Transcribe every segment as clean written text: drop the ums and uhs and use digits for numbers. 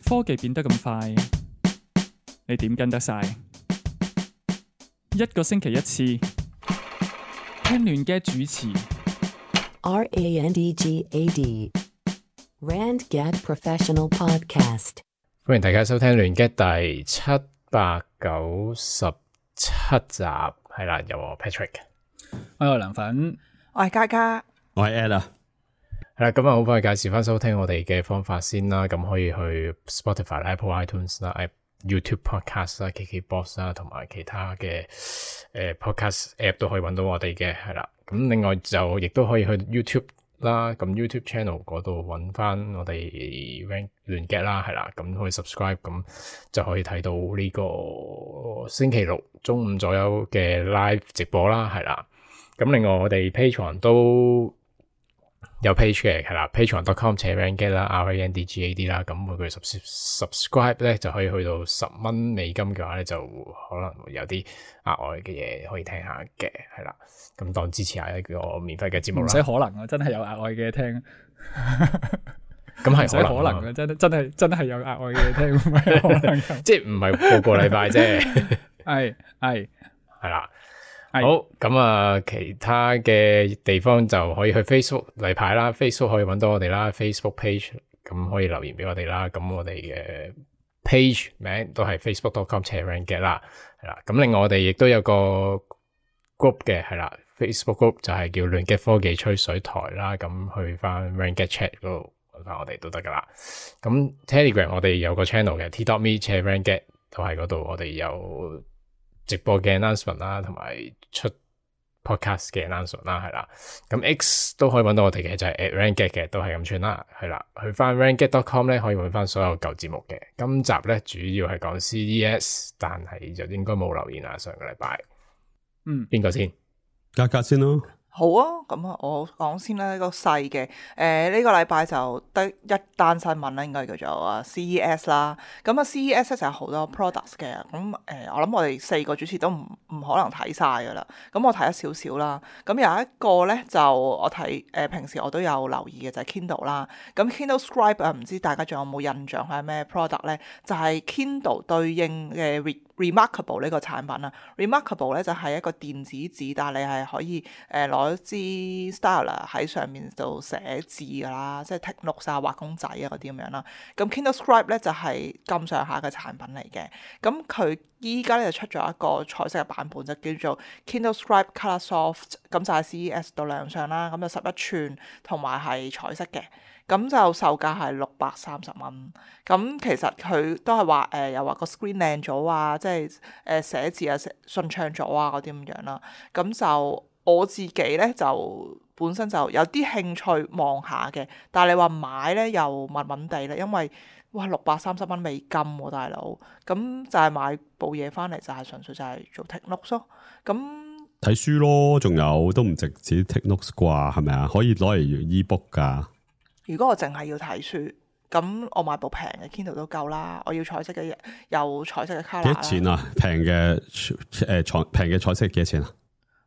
科技變得咁快，你點跟得晒？一個星期一次，聽亂嘅主持。RANDGAD RandGad Professional Podcast。歡迎大家收聽亂 gad 第797集，係啦，有我 Patrick， 我係梁粉，我係嘉嘉，我係 Ed 啊。係啦，咁啊好快介紹翻收聽我哋嘅方法先啦。咁可以去 Spotify、Apple iTunes 啦、YouTube Podcast 啦、KKBox 啦，同埋其他嘅Podcast App 都可以揾到我哋嘅，係啦。咁另外就亦都可以去 YouTube 啦，咁 YouTube Channel 嗰度揾翻我哋亂 gad 啦，係啦，咁可以 subscribe， 咁就可以睇到呢個星期六中午左右嘅 live 直播啦，係啦。咁另外我哋 Patreon 都有 page 嘅，係啦 patreon.com/randgad 啦 RANDGAD 啦，咁每個月 subscribe 咧就可以去到$10美金嘅話咧，就可能會有啲額外嘅嘢可以聽下嘅，係啦，咁當支持下一個免費嘅節目啦。唔使可能啊，真係有額外嘅聽。咁係唔使可能嘅，真係有額外嘅聽，唔係可能嘅。即係唔係個禮拜啫。係啦。好，咁啊，其他嘅地方就可以去 Facebook 例牌啦 ，Facebook 可以揾到我哋啦 ，Facebook page 咁可以留言俾我哋啦。咁我哋嘅 page 名都係 facebook.com/randgad 啦，係啦。咁另外我哋亦都有個 group 嘅，係啦 ，Facebook group 就係叫亂 gad 科技吹水台啦。咁去翻 randgad chat 嗰度揾翻我哋都得噶啦。咁 Telegram 我哋有個 channel 嘅 t.me/randgad 都係嗰度，我哋有直播嘅 announcement 啦，同埋出 podcast 嘅 announcement 啦，係啦。咁 X 都可以揾到我哋嘅，就係 @randgad 嘅，都係咁串啦，係啦。去翻 randgad.com 咧，可以揾翻所有舊節目嘅。今集咧主要係講 CES， 但係就應該冇留言啦。上個禮拜，邊個先？嘉嘉先咯。好啊，咁啊，我講先啦，呢個細嘅，呢個禮拜就得一單新聞啦，應該叫做CES 啦。咁啊 CES 就有好多 products 嘅，咁我諗我哋4個主持都唔可能睇晒噶啦。咁我睇咗少少啦。咁有一個咧就我睇平時我都有留意嘅就係 Kindle 啦。咁 Kindle Scribe 唔知大家仲有冇印象係咩 product 咧？就係 Kindle 對應嘅Remarkable 呢個產品啊。Remarkable 咧就係一個電子紙，但係你係可以攞支 Styler 喺上面度寫字噶啦，即係 take notes 啊、畫公仔啊嗰啲咁樣啦。咁 Kindle Scribe 咧就係咁上下嘅產品嚟嘅。咁佢依家咧就出咗一個彩色嘅版本，就叫做 Kindle Scribe Color Soft， 咁就喺 CES 度亮相啦。咁就11寸同埋係彩色嘅。咁就售價係630蚊。咁其實佢都係話又話個 screen 靚咗啊，即係寫字啊順暢咗啊嗰啲咁樣啦。咁就我自己咧就本身就有啲興趣望下嘅，但係你話買咧又悶悶地啦，因為哇630蚊美金喎，大佬。咁就係買部嘢翻嚟就係純粹就係做 take notes 咯。咁睇書咯，仲有都唔直接 take notes 啩，係咪啊？可以攞嚟 ebook 噶。如果我淨係要睇書，咁我買部平嘅 Kindle 都夠啦。我要彩色嘅，有彩色嘅 color。幾多錢啊？平嘅平嘅彩色幾多錢啊？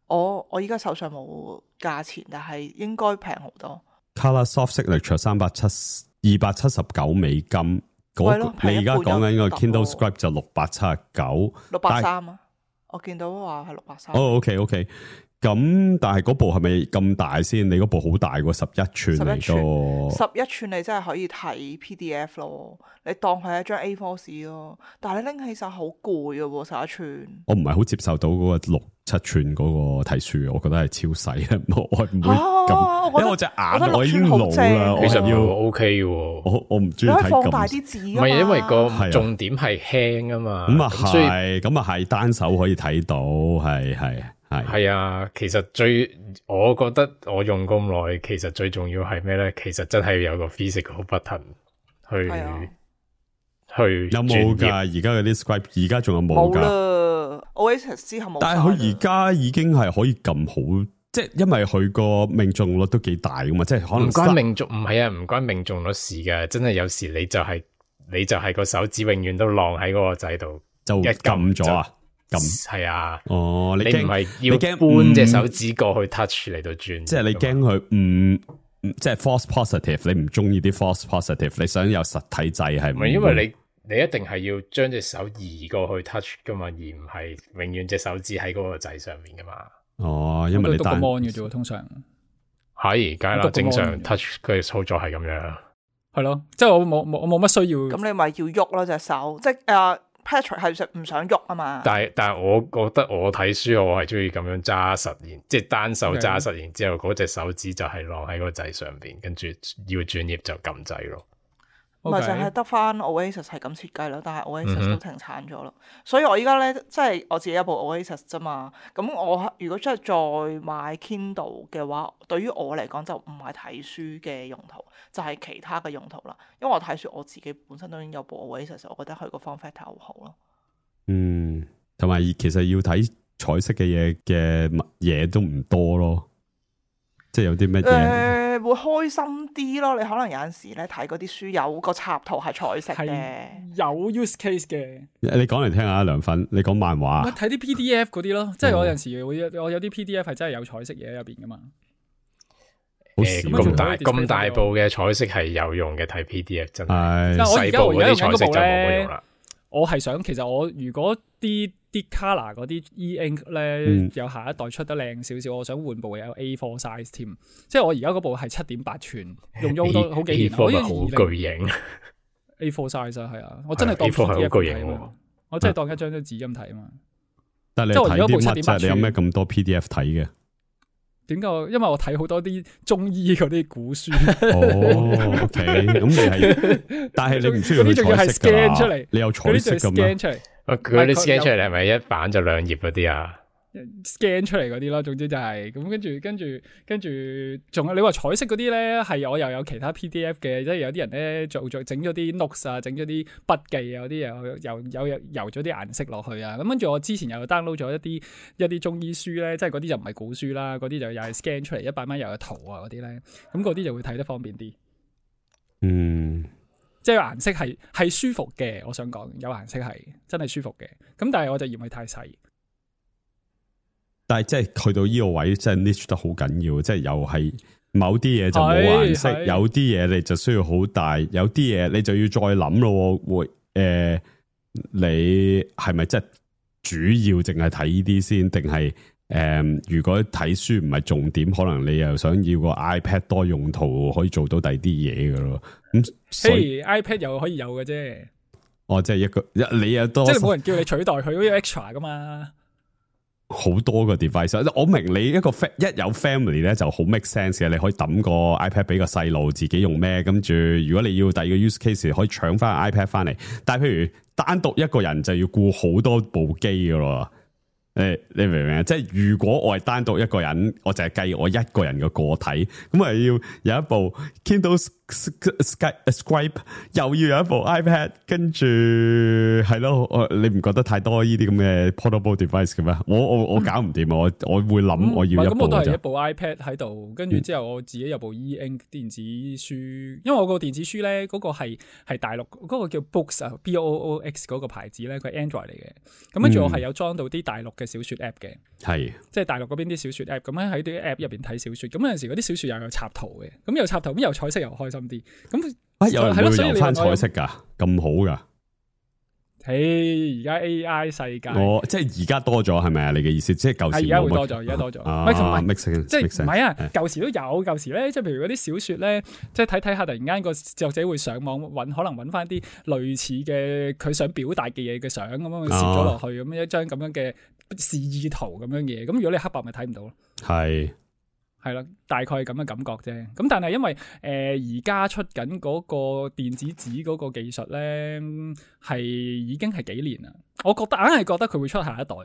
我依家手上冇價錢，但係應該平好多。Color Soft Signature 279美金。你而家講緊個 Kindle Scribe 就679。630啊！我見到話係630。哦，OK。咁但係嗰部係咪咁大先？你嗰部好大喎，11寸嚟㗎。11寸你真係可以睇 PDF 咯，你當佢係一張 A4 紙咯。但係你拎起手好攰㗎喎，11寸。我唔係好接受到嗰個6-7寸嗰個睇書，我覺得係超細，我唔會咁，因為我隻眼我已經老啦，其實要 OK 喎。我唔中意睇咁。你可以放大啲字㗎嘛。唔係因為個重點係輕啊嘛。咁啊係單手可以睇到，係啊，其實我覺得我用咁耐，其實最重要係咩咧？其實真係有個 physical button 去有冇㗎？而家嗰啲 Scribe 而家仲有冇㗎？冇啦 ，Oasis 之後冇。但係佢而家已經係可以撳好，即係因為佢個命中率都幾大㗎嘛，即係可能唔關命中率事㗎，真係有時你就係個手指永遠都晾喺嗰個掣度，就一撳咗啊！係啊，你唔係要搬隻手指過去 touch 嚟到轉，即係你驚佢即係 false positive， 你唔中意啲 false positive， 你想有實體掣係唔係？因為你一定係要將隻手移過去 touch 噶嘛，而唔係永遠隻手指喺嗰個掣上面噶嘛。哦，因為你單篤個 mon 嘅啫，通常係梗係啦，正常 touch 佢嘅操作係咁樣。係咯，即係我冇乜需要。咁你咪要喐咯隻手，即係Patrick 係唔想喐啊嘛。但係我覺得我睇書我係中意咁樣揸實，即係單手揸實，然之後嗰隻手指就係晾喺個掣上邊，跟住要轉頁就撳掣咯。咪就係得翻 Oasis 係咁設計咯，但係 Oasis 都停產咗咯。所以我依家咧，即係我自己有部 Oasis 啫嘛。咁我如果真係再買 Kindle 嘅話，對於我嚟講就唔係睇書嘅用途，就係其他嘅用途啦。因為我睇書我自己本身都已經有部 Oasis，我覺得佢個 form factor 好好咯。同埋其實要睇彩色嘅嘢都唔多咯。即係有啲乜嘢？會開心啲咯。你可能有陣時咧睇嗰啲書有個插圖係彩色嘅，有 use case 嘅。你講嚟聽下，梁粉，你講漫畫。睇啲 PDF 嗰啲咯，即係我有陣時我有啲 PDF 係真係有彩色嘢喺入邊噶嘛。咁大部嘅彩色係有用嘅，睇 PDF 真係。細部嗰啲彩色就冇乜用啦。我係想，其實我如果啲 color 嗰啲 e-ink 咧，有下一代出得靚少少，我想換部有 A4 size 添。即係我而家嗰部係7.8寸，用咗好幾年，好巨型。A4 size 係啊，我真係當 PDF 好巨型，我真係當一張紙咁睇啊嘛。但係你睇啲乜啫？你有咩咁多 PDF 睇嘅？點解？因為我睇好多啲中醫嗰啲古書。哦，OK，咁你係，但係你唔需要去彩色㗎嘛？你有彩色㗎咩？佢啲 scan 出嚟係咪一版就2頁嗰啲啊？ scan 出嚟嗰啲咯，總之就係咁，跟住，仲有你話彩色嗰啲咧，係我又有其他 PDF 嘅，即係有啲人咧整咗啲 notes 啊，整咗啲筆記啊，有啲又油咗啲顏色落去啊，咁跟住我之前又 download 咗一啲中醫書咧，即係嗰啲就唔係古書啦，嗰啲就又係 scan 出嚟100蚊又有圖啊嗰啲咧，咁嗰啲就會睇得方便啲。即係顏色係舒服嘅，我想講有顏色係真係舒服嘅，咁但係我就嫌佢太細。但係即係去到呢個位，即係 niche 得好緊要，即係又係某啲嘢就冇顏色，有啲嘢你就需要好大，有啲嘢你就要再諗咯。會你係咪即係主要淨係睇呢啲先，定係如果睇書唔係重點，可能你又想要個 iPad 多用途，可以做到第二啲嘢噶咯。咁所以 iPad 又可以有嘅啫。哦，即係你又多，即係冇人叫你取代佢，好似 extra 噶嘛。好多個 device， 我明你一有 family 咧就好 make sense 嘅，你可以抌個 iPad 俾個細路自己用咩，跟住如果你要第二個 use case 可以搶翻 iPad 翻嚟，但係譬如單獨一個人就要顧好多部機噶咯。你明唔明啊？即係如果我係單獨一個人，我就係計我一個人嘅個體，咁啊要有一部 Kindle Scribe， 又要有一部 iPad， 跟住係咯，你唔覺得太多呢啲咁嘅 portable device 嘅咩？我搞唔掂啊！我會諗我要一部咁我都係一部 iPad 喺度，跟住之後我自己有部 e-ink 電子書，因為我個電子書咧嗰個係大陸嗰個叫 Books 啊 BOOX 嗰個牌子咧，佢係 Android 嚟嘅，咁跟住我係有裝到啲大陸嘅小說 app 嘅，係即係大陸嗰邊啲小說 app，咁喺啲 app 入邊睇小說，咁有陣時嗰啲小說又有插圖嘅，咁有插圖咁有彩色又開心啲，咁有人會留翻彩色噶，咁好噶？而家 AI 世界，即係而家多咗係咪啊？你嘅意思即係舊時而家會多咗，而家多咗，即係唔係啊？舊時都有，舊時咧，即係譬如嗰啲小說咧，即係睇下，突然間個作者會上網可能搵翻啲類似嘅佢想表達嘅嘢嘅相咁樣攝咗落去，咁一張咁樣嘅示意圖咁樣嘢，咁如果你黑白咪睇唔到咯。係啦，大概咁嘅感覺啫。咁但係因為而家出緊嗰個電子紙嗰個技術咧，係已經係幾年啦。我硬係覺得佢會出下一代，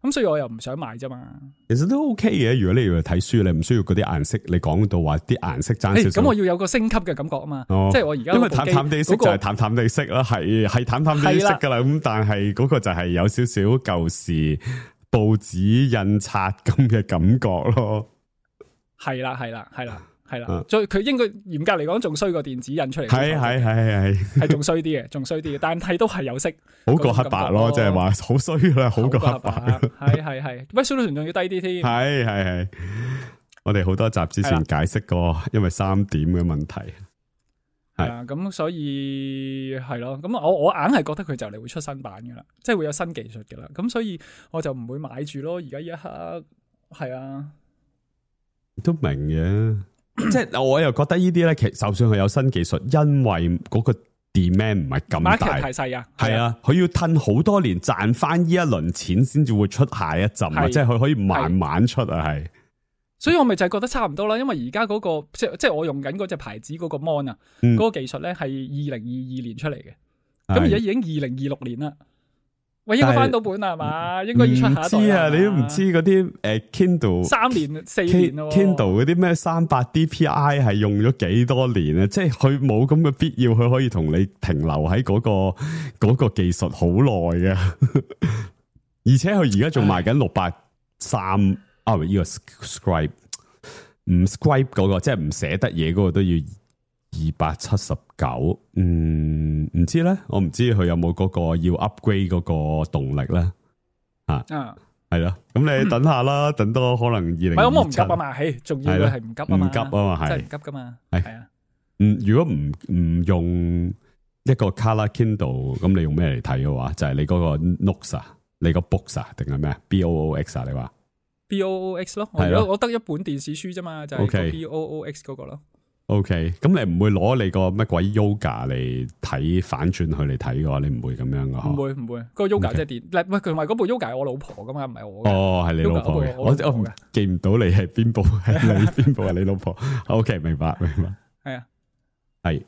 咁所以我又唔想買啫嘛。其實都 OK 嘅，如果你要睇書，你唔需要嗰啲顏色。你講到話啲顏色爭少少，咁我要有個升級嘅感覺啊嘛。即係我而家因為淡淡地色就係淡淡地色啦，係淡淡地色噶啦。咁但係嗰個就係有少少舊時報紙印刷咁嘅感覺咯。係啦，所以佢應該嚴格嚟講仲衰過電子印出嚟，係仲衰啲嘅，但係都係有色，好過黑白咯，即係話好衰啦，好過黑白，係，resolution仲要低啲添，係，我哋好多集之前解釋過，因為3點嘅問題。係啊，咁所以係咯，咁我硬係覺得佢就嚟會出新版噶啦，即係會有新技術噶啦，咁所以我就唔會買住咯。而家一刻係啊，都明嘅，即係我又覺得呢啲咧，其實就算佢有新技術，因為嗰個 demand 唔係咁大， market 太細啊，係啊，佢要褪好多年賺翻呢一輪錢，先至會出下一陣啊，即係佢可以慢慢出啊，係。所以我咪就係覺得差唔多啦，因為而家嗰個即係我用緊嗰隻牌子嗰個 mon 啊，嗰個技術咧係2022年出嚟嘅，咁而家已經2026年啦。喂，應該翻到本啦係嘛？應該要出下一代。唔知啊，你都唔知嗰啲Kindle 3年4年咯。Kindle 嗰啲咩300 DPI 係用咗幾多年啊？即係佢冇咁嘅必要，佢可以同你停留喺嗰個技術好耐嘅。而且佢而家仲賣緊630。呢個 scribe 唔 scribe 嗰個，即係唔寫得嘢嗰個都要279。唔知咧，我唔知佢有冇嗰個要 upgrade 嗰個動力咧。係咯，咁你等下啦，等多可能2027。我唔急啊嘛，仲要係唔急啊嘛，唔急啊嘛，係真係唔急噶嘛，係啊。如果唔用一個 Color Kindle， 咁你用咩嚟睇嘅話，就係你嗰個 Notes 啊，你個 Books 啊，定係咩 BOOX 啊？你話？BOOX 咯，我得一本電子書啫嘛，就係 BOOX 嗰個咯。OK， 咁你唔會攞你個乜鬼 Yoga 嚟睇反轉佢嚟睇嘅話，你唔會咁樣噶？唔會，個 Yoga 即係電，喂，同埋嗰部 Yoga 係我老婆噶嘛，唔係我。哦，係你老婆嘅，我記唔到你係邊部，係你邊部係你老婆。OK， 明白。係啊，係。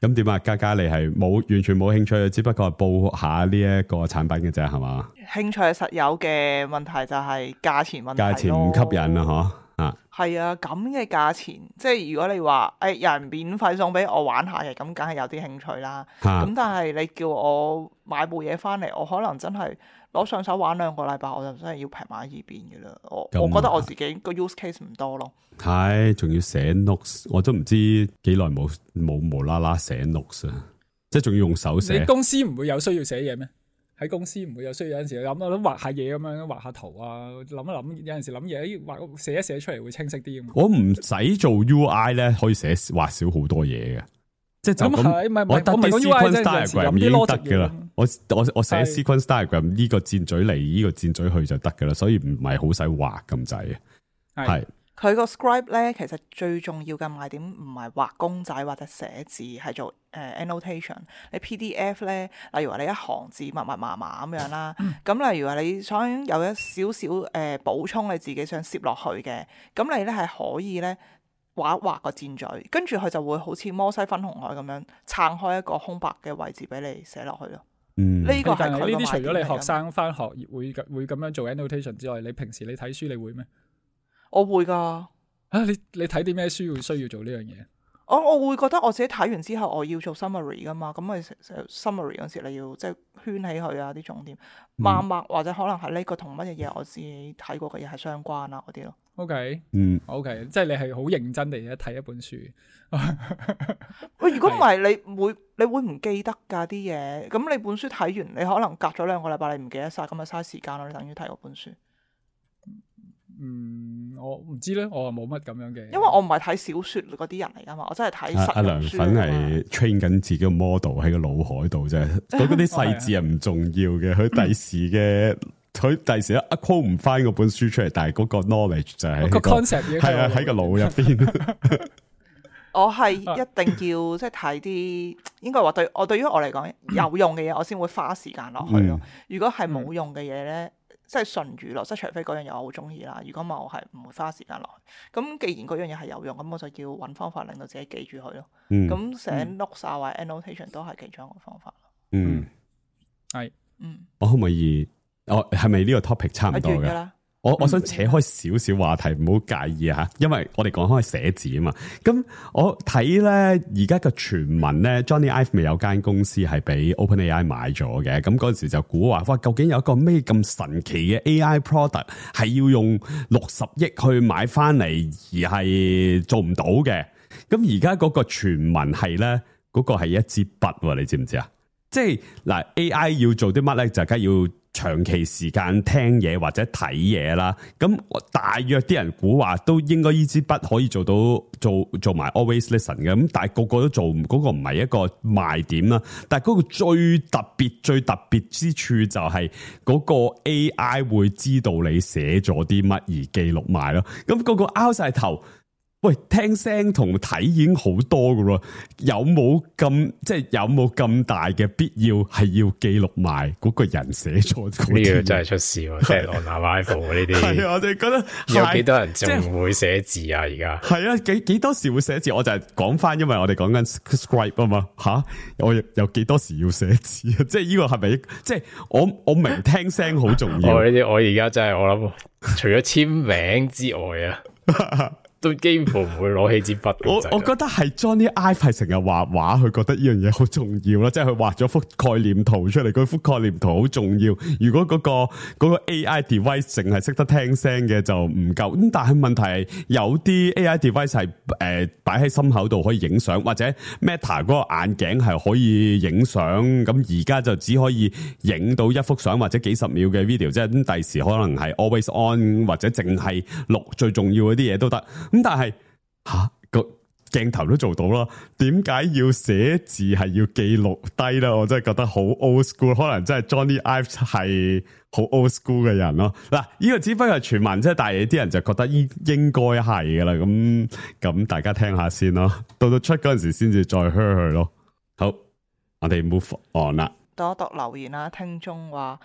咁點啊？嘉嘉你係完全冇興趣，只不過係報下呢一個產品嘅啫，係嘛？興趣係實有嘅，問題就係價錢問題咯。價錢唔吸引啊，嗬？係啊，咁嘅價錢，即係如果你話有人免費送俾我玩下嘅，咁梗係有啲興趣啦。咁但係你叫我買部嘢翻嚟，我可能真係攞上手玩2個禮拜，我就真係要劈埋一邊嘅啦。我覺得我自己個 use case 唔多咯。係，仲要寫 notes， 我都唔知幾耐冇無啦啦寫 notes 啊！即係仲要用手寫。你公司唔會有需要寫嘢咩？喺公司唔會有需要，有陣時諗畫下嘢咁樣，畫下圖啊，諗一諗，有陣時諗嘢畫寫一寫出嚟會清晰啲。我唔使做 UI 咧，可以畫少好多嘢嘅，即係就咁。我得啲 sequence diagram 已經得噶啦。我寫 sequence diagram 呢個箭嘴嚟，呢個箭嘴去就得噶啦，所以唔係好使畫咁滯嘅。係。佢個 scribe 咧，其實最重要嘅賣點唔係畫公仔或者寫字，係做annotation。你 PDF 咧，例如話你一行字密密麻麻咁樣啦，咁例如話你想有一少少補充你自己想攝落去嘅，咁你咧係可以咧畫一畫個箭嘴，跟住佢就會好似摩西分紅海咁樣撐開一個空白嘅位置俾你寫落去咯。呢個係佢呢啲除咗你學生返學會咁樣做 annotation 之外，你平時你睇書你會咩？我會噶。你睇啲咩書會需要做呢樣嘢？我會覺得我自己睇完之後我要做 summary 噶嘛，咁咪 summary 嗰時你要即係圈起佢啊啲重點，默默或者可能係呢個同乜嘢嘢我自己睇過嘅嘢係相關啊嗰啲咯。OK，即係你係好認真地睇一本書。喂，如果唔係你會唔記得㗎啲嘢？咁你本書睇完，你可能隔咗2個禮拜你唔記得晒，咁咪嘥時間咯。你等於睇嗰本書。我唔知咧，我冇乜咁樣嘅。因為我唔係睇小說嗰啲人嚟噶嘛，我真係睇實用書。阿梁粉係 train 緊自己個 model 喺個腦海度啫，嗰啲細節係唔重要嘅。佢第時一 quote 唔翻嗰本書出嚟，但係嗰個 knowledge 就係個 concept 係啊喺個腦入邊。我係一定要即係睇啲，應該話對於我嚟講有用嘅嘢，我先會花時間落去咯。如果係冇用嘅嘢咧。即係純娛樂，即係除非嗰樣嘢我好中意啦。如果唔係，我係唔會花時間落去。咁既然嗰樣嘢係有用，咁我就要揾方法令到自己記住佢咯。咁寫 notes 啊或者 annotation 都係其中一個方法。係。我可唔可以？係咪呢個 topic 差唔多嘅？我想扯開少少話題，唔好介意啊，因為我哋講開寫字啊嘛。咁我睇咧而家嘅傳聞咧 ，Johnny Ive 咪有間公司係俾 OpenAI 買咗嘅。咁嗰陣時就估話，哇，究竟有一個咩咁神奇嘅 AI product 係要用60億去買翻嚟，而係做唔到嘅？咁而家嗰個傳聞係咧，嗰個係一支筆，你知唔知啊？即係嗱 ，AI 要做啲乜咧，就梗係要長期時間聽嘢或者睇嘢啦，咁大約啲人估話都應該呢支筆可以做到做埋 always listen 嘅，咁但係個個都做嗰個唔係一個賣點啦。但係嗰個最特別之處就係嗰個 AI 會知道你寫咗啲乜而記錄埋咯。咁個拗晒頭。喂，聽聲同睇已經好多噶咯，有冇咁大嘅必要係要記錄埋嗰個人寫錯嗰啲？呢個真係出事喎，即係 on arrival 呢啲。係啊，我哋覺得有幾多人仲會寫字啊？而家係啊，幾多時會寫字？我就係講翻，因為我哋講緊 scribe 啊嘛，吓我有幾多時要寫字啊？即係呢個係咪？即係我明聽聲好重要。我呢啲我而家真係我諗，除咗簽名之外啊。都幾乎唔會攞起支筆。我覺得係 Johnny Ive 係成日畫畫，佢覺得呢樣嘢好重要啦，即係佢畫咗幅概念圖出嚟，嗰幅概念圖好重要。如果嗰個 AI device 淨係識得聽聲嘅就唔夠。咁但係問題係有啲 AI device 係擺喺心口度可以影相，或者 Meta 嗰個眼鏡係可以影相。咁而家就只可以影到一幅相或者幾十秒嘅 video，即係咁第時可能係 always on 或者淨係錄最重要嗰啲嘢都得。咁但係個鏡頭都做到啦，點解要寫字係要記錄低咧？我真係覺得好 old school， 可能真係 Johnny Ive 係好 old school 嘅人咯。嗱，呢個只不過係傳聞啫，但係啲人就覺得應該係噶啦。咁大家聽下先咯，到出嗰陣時先至再 hear 佢咯。好，我哋 move on 啦。讀一讀留言啦，聽眾話。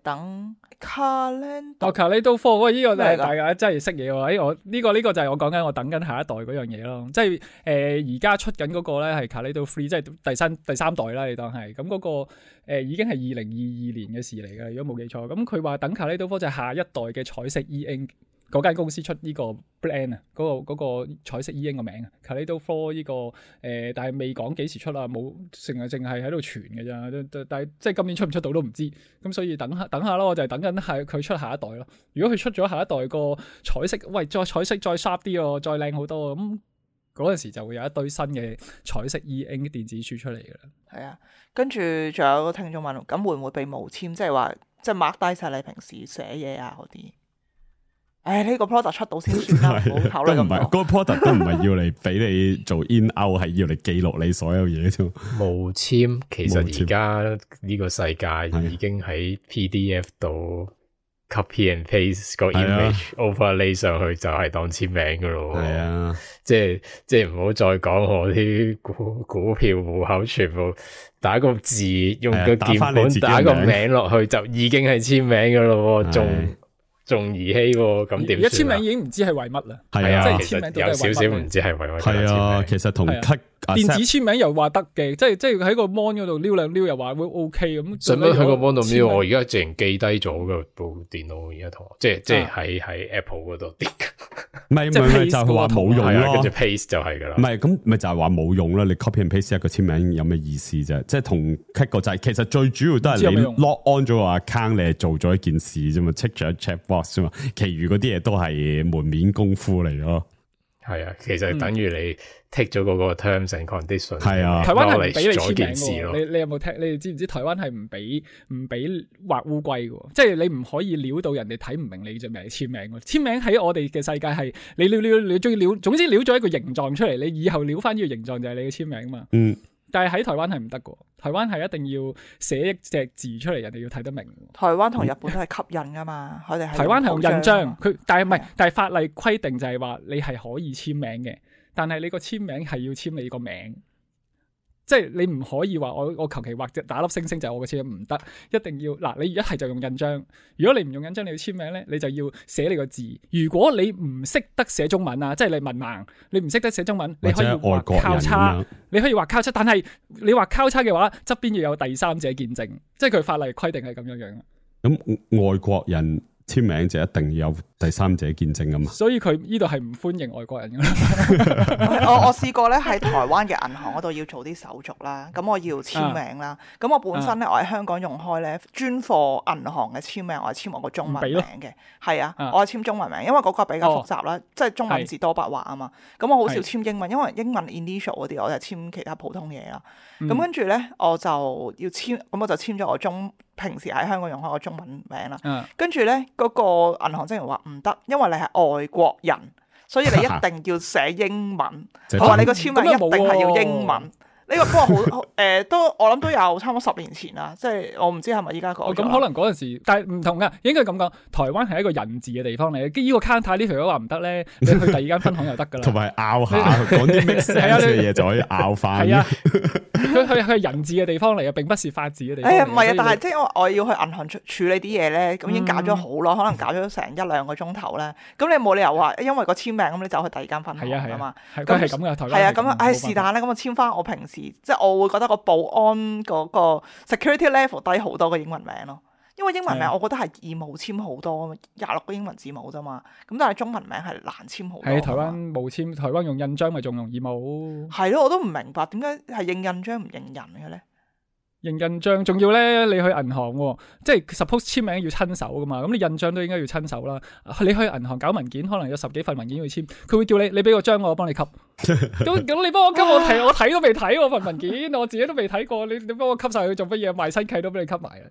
等 Calendar， Calendar 4，喂，呢個就係大家真係識嘢喎！我呢個就係我講緊我等緊下一代嗰樣嘢咯，即係而家出緊嗰個咧係 Calendar 3，即係第三代啦，你當係咁嗰個已經係2022年嘅事嚟嘅，如果冇記錯。咁佢話等 Calendar 4就係下一代嘅彩色 E-Ink。嗰間公司出呢個 brand 啊，嗰個彩色 E-Ink 個名啊 Kaleido 4呢個但係未講幾時出啊，冇淨係喺度傳嘅咋，但係即係今年出唔出到都唔知，咁所以等下咯，我就係等緊係佢出下一代咯。如果佢出咗下一代個彩色，喂，再彩色再 sharp 啲喎，再靚好多，咁嗰陣時就會有一堆新嘅彩色 E-Ink 電子書出嚟嘅啦。係啊，跟住仲有個聽眾問，咁會唔會被無簽？即係話即係 mark 低晒你平時寫嘢啊嗰啲。呢個 product 出到先算啦，唔好考慮咁多。嗰個 product 都唔係要嚟俾你做 in out， 係要嚟記錄你所有嘢啫。無簽其實而家呢個世界已經喺 PDF 度 copy and paste 個 image overlay 上去就係當簽名噶咯。係啊，即係唔好再講我啲股票戶口全部打個字，用個鍵盤打個名落去就已經係簽名噶咯，仲兒戲喎，咁點？而家簽名已經唔知係為乜啦。係啊，即係簽名都有少少唔知係為乜。係啊，其實同 cut 電子簽名又話得嘅，即係喺個 mon 嗰度撩兩撩又話會 OK 咁。使乜喺個 mon 度撩？我而家淨記低咗個部電腦而家同我，即係喺 Apple 嗰度跌。唔係就係話冇用咯，跟住 paste 就係噶啦。唔係咁咪就係話冇用啦。你 copy and paste 一個簽名有咩意思啫？即係同 cut 個掣，其實最主要都係你 log on 咗個 account， 你係做咗一件事啫嘛，tick 咗 check box 啫嘛。其餘嗰啲嘢都係門面功夫嚟咯。係啊，其實等於你 take 咗嗰個 terms and conditions。係啊，台灣係唔俾你簽名嘅。你有冇聽？你哋知唔知台灣係唔俾畫烏龜嘅？即係你唔可以撩到人哋睇唔明你隻名簽名。簽名喺我哋嘅世界係你你中意撩，總之撩咗一個形狀出嚟，你以後撩翻呢個形狀就係你嘅簽名嘛。嗯。但係喺台灣係唔得嘅，台灣係一定要寫一隻字出嚟，人哋要睇得明。台灣同日本都係吸印噶嘛，佢哋係台灣係用印章，佢但係唔係，但係法例規定就係話你係可以簽名嘅，但係你個簽名係要簽你個名。即係你唔可以話我求其畫隻打粒星星就係我嘅簽名，唔得，一定要嗱，你一係就用印章，如果你唔用印章你要簽名咧，你就要寫你個字。如果你唔識得寫中文啊，即係你文盲，你唔識得寫中文，你可以畫交叉，你可以畫交叉，但係你畫交叉嘅話，側邊要有第三者見證，即係佢法例規定係咁樣樣。咁外國人簽名就一定要有第三者見證啊嘛。所以佢呢度係唔歡迎外國人嘅。我試過咧喺台灣嘅銀行嗰度要做啲手續啦，咁我要簽名啦。咁我本身咧我喺香港用開咧專貨銀行嘅簽名，我係簽我個中文名嘅。係啊，我係簽中文名，因為嗰個比較複雜啦，即係中文字多筆畫啊嘛。咁我好少簽英文，因為英文 initial 嗰啲我就簽其他普通嘢啦。咁跟住咧我就要簽，咁我就簽咗我平時喺香港用開個中文名啦。跟住咧嗰個銀行職員話唔得，因為你係外國人，所以你一定要寫英文。佢話你個簽名一定係要英文。呢個不過好都我諗都有差唔多10年前啦，即係我唔知係咪依家講。咁可能嗰陣時，但係唔同噶，應該咁講。台灣係一個人治嘅地方嚟嘅，呢個 counter 呢條友話唔得咧，你去第二間分行就得噶啦。同埋拗下講啲 make sense 嘅嘢就可以拗翻。係啊，佢係人治嘅地方嚟嘅，並不是法治嘅地方。唔係啊，但係即係我要去銀行處理啲嘢咧，咁已經搞咗好耐，可能搞咗成1-2個鐘頭咧。咁你冇理由話因為個簽名咁你走去第二間分行㗎嘛？佢係咁嘅，台灣係啊，咁是但咧，咁我簽翻我平時即係我會覺得個保安嗰個 security level 低好多個英文名咯，因為英文名我覺得係易冇簽好多，26個英文字母啫嘛，咁但係中文名係難簽好多。係台灣冇簽，台灣用印章咪仲容易冇。係咯，我都唔明白點解係認印章唔認人嘅咧？認印章仲要咧，你去銀行即係 suppose 簽名要親手噶嘛，咁你印章都應該要親手啦。你去銀行搞文件，可能有10幾份文件要簽，佢會叫你俾個章我幫你吸。咁你幫我吸我睇都未睇我份文件，我自己都未睇過，你幫我吸晒佢做乜嘢？賣身契都俾你吸埋啊！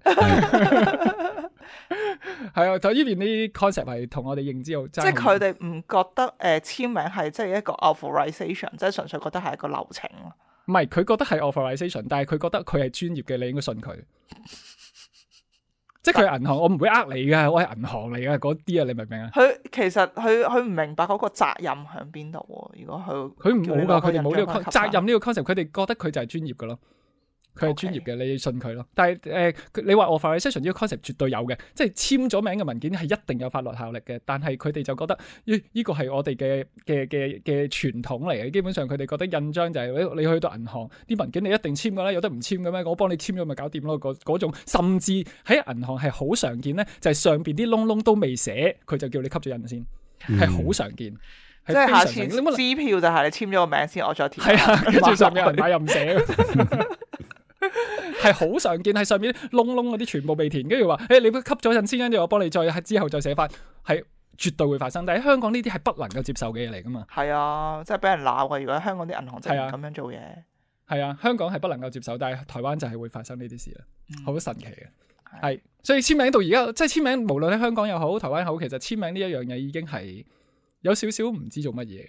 係啊，就呢邊啲 concept 係同我哋認知好，即係佢哋唔覺得簽名係即係一個 authorization， 即係純粹覺得係一個流程咯。唔係，佢覺得係 authorization， 但係佢覺得佢係專業嘅，你應該信佢。即係佢係銀行，我唔會呃你噶，我係銀行嚟噶，嗰啲啊，你明唔明啊？佢其實佢唔明白嗰個責任喺邊度。如果佢冇噶，佢哋冇呢個責任呢個 concept，佢哋覺得佢就係專業噶咯。佢係專業嘅， Okay. 你要信佢咯。但係你話 authorization 呢個 concept 絕對有嘅，即係簽咗名嘅文件係一定有法律效力嘅。但係佢哋就覺得呢個係我哋嘅傳統嚟嘅。基本上佢哋覺得印章就係你去到銀行啲文件你一定簽㗎啦，有得唔簽嘅咩？我幫你簽咗咪搞掂咯。嗰種甚至喺銀行係好常見咧，就係上邊啲窿窿都未寫，佢就叫你吸咗印先，係好常見。即係下次支票就係你簽咗個名先，我再填。係啊，跟住上面有人買又唔寫。係好常見，係上面窿窿嗰啲全部未填，跟住話你吸咗陣先，跟住我幫你再之後再寫翻，係絕對會發生。但係香港呢啲係不能夠接受嘅嘢嚟噶嘛？係啊，即係俾人鬧嘅。如果香港啲銀行真係咁樣做嘢，係啊，香港係不能夠接受，但係台灣就係會發生呢啲事啦，好神奇嘅。係，所以簽名到而家，即係簽名，無論喺香港又好，台灣好，其實簽名呢一樣嘢已經係有少少唔知做乜嘢。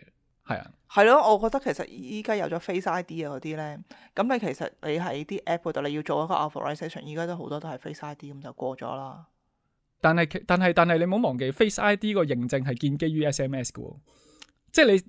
係啊，係咯，我覺得其實依家有咗 Face ID 啊嗰啲咧，咁你其實你喺啲 app 度你要做一個 authorization， 依家都好多都係 Face ID 咁就過咗啦。但係你唔好忘記 Face ID 個認證係建基於 SMS 嘅，即係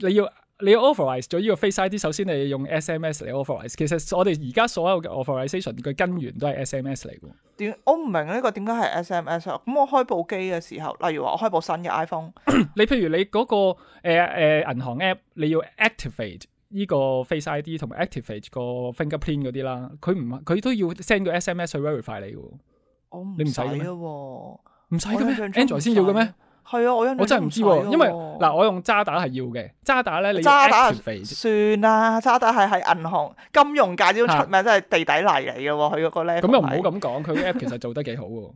你要 authorize 咗呢個 Face ID， 首先你用 SMS 嚟 authorize。其實我哋而家所有嘅 authorization 嘅根源都係 SMS 嚟嘅。我唔明呢個點解係 SMS 啊？咁我開部機嘅時候，例如話我開部新嘅 iPhone，你譬如你嗰個銀行 app， 你要 activate 呢個 Face ID 同埋 activate 個 fingerprint 嗰啲啦，佢都要 send 個 SMS 去 verify 你嘅。你唔使嘅咩？唔使嘅咩 ？Android 先要嘅咩？係啊，我真係唔知喎，因為嗱，我用渣打係要嘅，渣打咧你要 activate。算啦，渣打係喺銀行金融界都出名，真係地底泥嚟嘅喎，佢嗰個 level。咁又唔好咁講，佢 app 其實做得幾好喎。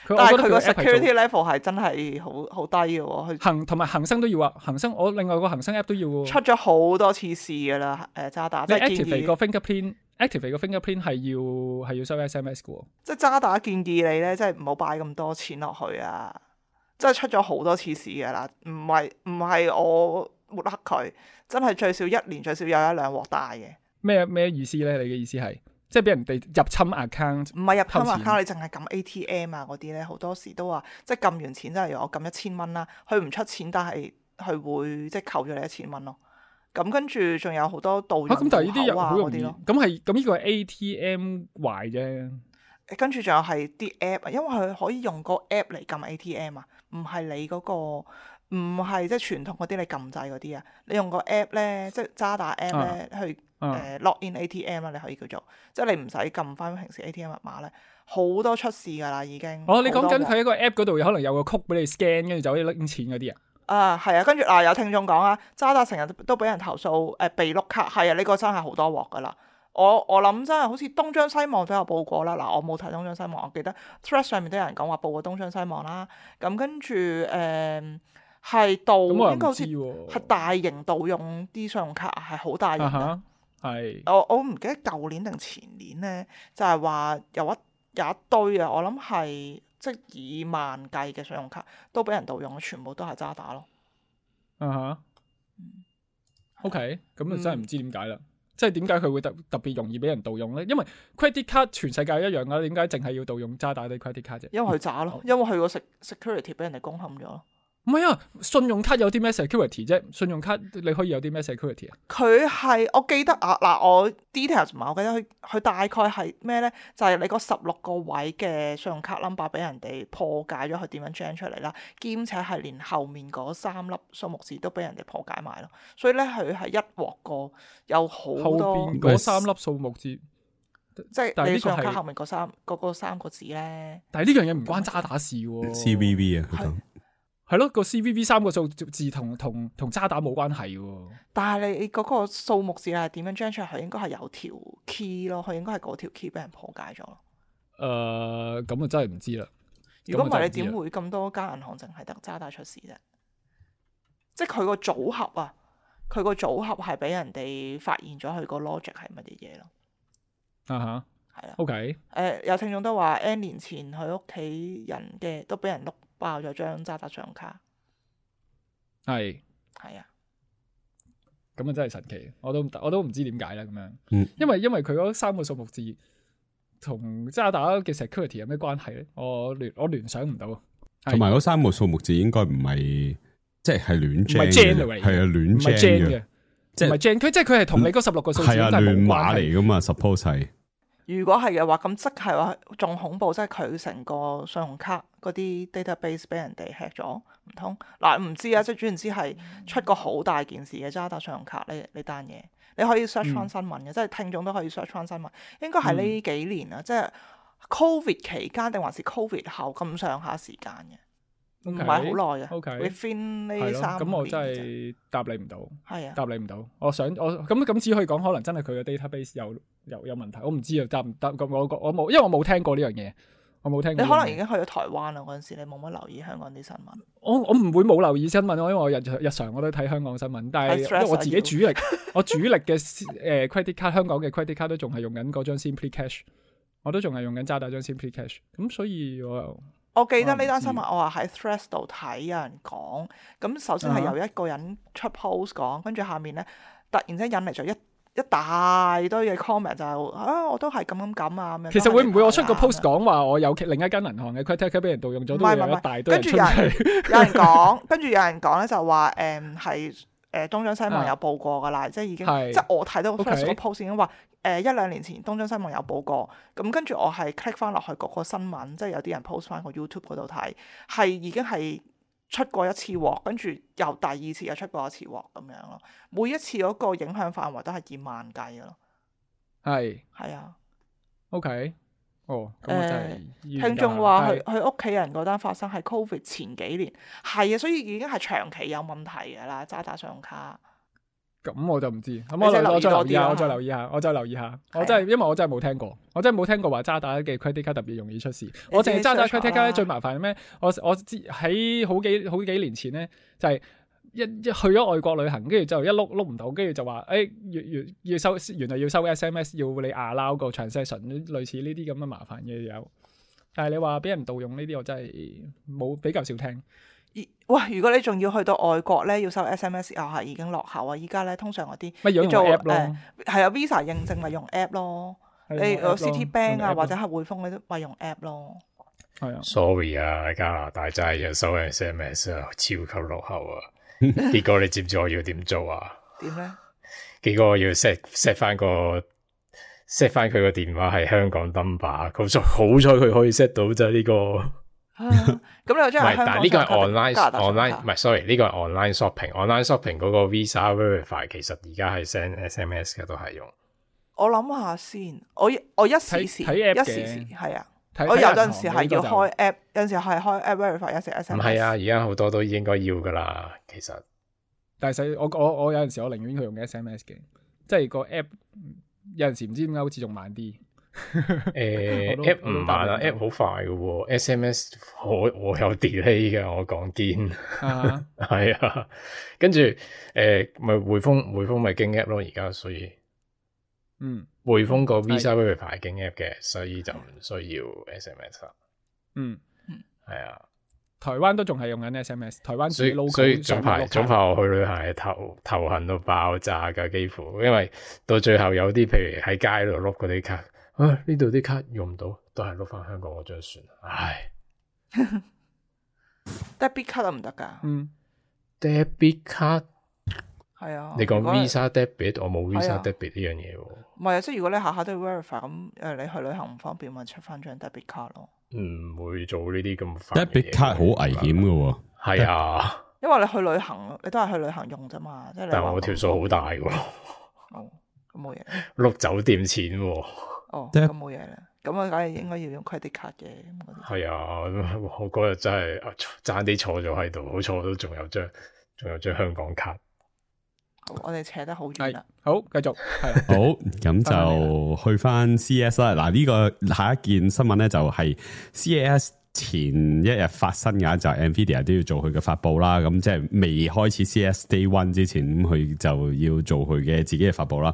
但係佢個 security level 係真係好低嘅喎。同埋恒生都要啊，恒生我另外個恒生 app 都要喎。出咗好多次事㗎啦，渣打。你 activate 個 fingerprint。activate 個 fingerprint 係要收 SMS 嘅喎。即係渣打建議你咧，即係唔好擺咁多錢落去啊！真係出咗好多次事㗎啦，唔係我抹黑佢，真係最少1年最少有1-2鑊大嘅。咩意思咧？你嘅意思係即係俾人哋入侵 account？ 唔係入侵 account， 你淨係撳 ATM 啊嗰啲咧，好多時都話即係撳完錢，即係我撳1000蚊啦，佢唔出錢，但係佢會即係扣咗你1000蚊咯。咁跟住仲有好多盜用戶口啊嗰啲咯。咁呢個係 ATM 壞啫。跟住仲有係啲 app， 因為佢可以用個 app 嚟撳 ATM 啊，唔係你嗰個唔係即係傳統嗰啲你撳掣嗰啲啊，你用個 app 咧，即係渣打 app 咧去log in ATM 啦，你可以叫做，即係你唔使撳翻平時 ATM 密碼咧，好多出事㗎啦已經。哦，你講緊佢喺個 app 嗰度可能有個曲俾你 scan，跟住就可以拎錢嗰啲啊？係啊，跟住有聽眾講啊，渣打成日都俾人投訴被碌卡，係啊，呢個真係好多鑊㗎啦。我諗真係好似東張西望都有報過啦。嗱，我冇睇東張西望，我記得 Threads 上面都有人講話報過東張西望啦。咁跟住係應該好似係大型盜用啲信用卡，係好大型嘅。係我唔記得舊年定前年咧，就係話有一堆啊，我諗係即係以萬計嘅信用卡都俾人盜用，全部都係渣打咯。OK， 咁啊真係唔知點解啦。即係點解佢會特別容易俾人盜用咧？因為 credit card 全世界一樣噶，點解淨係要盜用渣打啲 credit card 啫？因為佢渣咯，因為佢個 security 俾人哋攻陷咗。唔係啊，信用卡有啲咩 security 啫？信用卡你可以有啲咩 security 啊？佢係我記得啊，嗱我 details 唔係，我記得佢大概係咩咧？就係你個16個位嘅信用卡 number 俾人哋破解咗，佢點樣 gen 出嚟啦？兼且係連後面嗰3粒數目字都俾人哋破解埋咯。所以咧，佢係一鑊過有好多後邊嗰3粒數目字，即係你信用卡後面嗰3個字咧。但係呢樣嘢唔關渣打事喎。CVV 啊，係咯，個 CVV 3個數字同渣打冇關係喎。但係你嗰個數目字係點樣 gen 出嚟？佢應該係有條 key 咯，佢應該係嗰條 key 俾人破解咗咯。咁啊真係唔知啦。如果唔係，你點會咁多間銀行淨係得渣打出事啫？即係佢個組合啊，佢個組合係俾人哋發現咗佢個 logic 係乜嘢嘢咯。係啦。OK。有聽眾都話 N 年前佢屋企人嘅都俾人碌爆咗張渣打信用卡。係啊。咁啊真係神奇，我都唔知點解啦咁樣。因為佢嗰3個數目字同渣打嘅 security 有咩關係咧？我聯想唔到。同埋嗰3個數目字應該唔係即係亂 gen 嘅，係啊亂 gen 嘅，即係唔係 gen，佢即係佢係同你嗰16個數字係亂碼嚟噶嘛 suppose 係。如果係嘅話，咁即係話仲恐怖，即係佢成個信用卡嗰啲 database 俾人哋 hack 咗，唔通嗱唔知啊？即係總言之係出個好大件事嘅渣打信用卡呢單嘢，你可以 search 翻新聞嘅，即係聽眾都可以 search 翻新聞。應該係呢幾年啊，即係 COVID 期間定還是 COVID 後咁上下時間嘅。唔係好耐嘅，within 呢3年。咁我真係答你唔到，係啊，答你唔到。我咁只可以講，可能真係佢嘅 database 有問題。我唔知啊，答唔答咁我冇，因為我冇聽過呢樣嘢，我冇聽過。你可能已經去咗台灣啦，嗰陣時你冇乜留意香港啲新聞。我唔會冇留意新聞，因為我日常我都睇香港新聞，但係因為我自己主力嘅credit card 香港嘅 credit card 都仲係用緊嗰張 Simply Cash， 我都仲係用緊渣打張 Simply Cash， 咁所以我記得呢單新聞，我話喺 Threads 度睇有人講，咁首先係由一個人出 post 講，跟住下面咧突然之間引嚟咗一大堆嘅 comment 就係我都係咁啊咁樣。其實會唔會我出個 post 講話我有另一間銀行嘅 credit card 俾人盜用咗，都有一大堆人出嚟。有人講，跟住有人講咧就話係東張西望有報過噶啦，即係已經即係我睇到 Threads 個 post 已經話。1-2年前東張西望有報過，咁跟住我係 click 翻落去嗰個新聞，即係有啲人 post 翻個 YouTube 嗰度睇，係已經係出過一次鑊，跟住又第2次又出過一次鑊咁樣咯。每一次嗰個影響範圍都係以萬計嘅咯。係啊。OK。咁我真係聽眾話佢屋企人嗰單發生係 COVID 前幾年，係啊，所以已經係長期有問題㗎啦，渣打信用卡。咁我就唔知，咁我再留意下，我再留意下，我真係因為我真係冇聽過，我真係冇聽過話渣打嘅 credit card 特別容易出事。我淨係渣打 credit card 最麻煩係咩？我知喺好幾年前咧，就係一去咗外國旅行，跟住就一碌唔到，跟住就話要收，原來要收 SMS， 要你 allow 個 transaction， 類似呢啲咁嘅麻煩嘢有。但係你話俾人盜用呢啲，我真係冇比較少聽。哇！如果你仲要去到外國咧，要收 SMS 又係已經落後啊！依家咧通常嗰啲咪用 app 咯，係啊 Visa 認證咪用 app 咯，你有 Citibank 啊或者係匯豐嗰啲咪用 app 咯。係啊 ，sorry 啊，加拿大真係有收 SMS 啊，超級落後啊！結果你知唔知我要點做啊？點咧？結果我要 set 翻佢個電話係香港 number， 好彩佢可以 set 到啫呢個。咁你又真係香港？但係呢個係 online 唔係 sorry， 呢個係 online shopping。online shopping 嗰個 Visa Verify 其實而家係 send SMS 嘅都係用。我諗下先，我一時時係啊。我有陣時係要開 app， 有陣時係開 app verify， 有陣時 SMS。唔係啊，而家好多都應該要噶啦，其實。但係我有陣時我寧願佢用 SMS 嘅，即係個 app 有陣時唔知點解好似仲慢啲。app 唔慢啊 ，app 好快噶喎 ，SMS 我有 delay 噶，我講堅。係啊，跟住咪匯豐咪經 app 咯，而家所以。匯豐個 Visa Verify 經 app 嘅，所以就唔需要 SMS 啦。係啊，台灣都仲係用緊 SMS， 台灣自己 logo。所以早排我去旅行係頭痕到爆炸噶，幾乎，因為到最後有啲譬如喺街度碌嗰啲卡，呢度啲卡用唔到，都係碌翻香港嗰張算。唉，debit 卡都唔得噶。debit 卡。係啊，你講 Visa Debit， 我冇 Visa Debit 呢樣嘢喎。唔係啊，即係如果你下下都要 verify 咁，你去旅行唔方便，咪出翻張 debit 卡咯。唔會做呢啲咁煩。debit 卡好危險噶喎。係啊，因為你去旅行，你都係去旅行用啫嘛。即係但係我條數好大喎。咁冇嘢。碌酒店錢喎。咁冇嘢啦。咁我梗係應該要用 credit 卡嘅。係啊，我嗰日真係爭啲坐咗喺度，好彩我都仲有張香港卡。我哋扯得好遠啦，好繼續係好，咁就去翻 CES 啦。嗱，呢個下一件新聞咧就係 CES 前一日發生嘅，就係 Nvidia 都要做佢嘅發布啦。咁即係未開始 CES Day One 之前，咁佢就要做佢嘅自己嘅發布啦。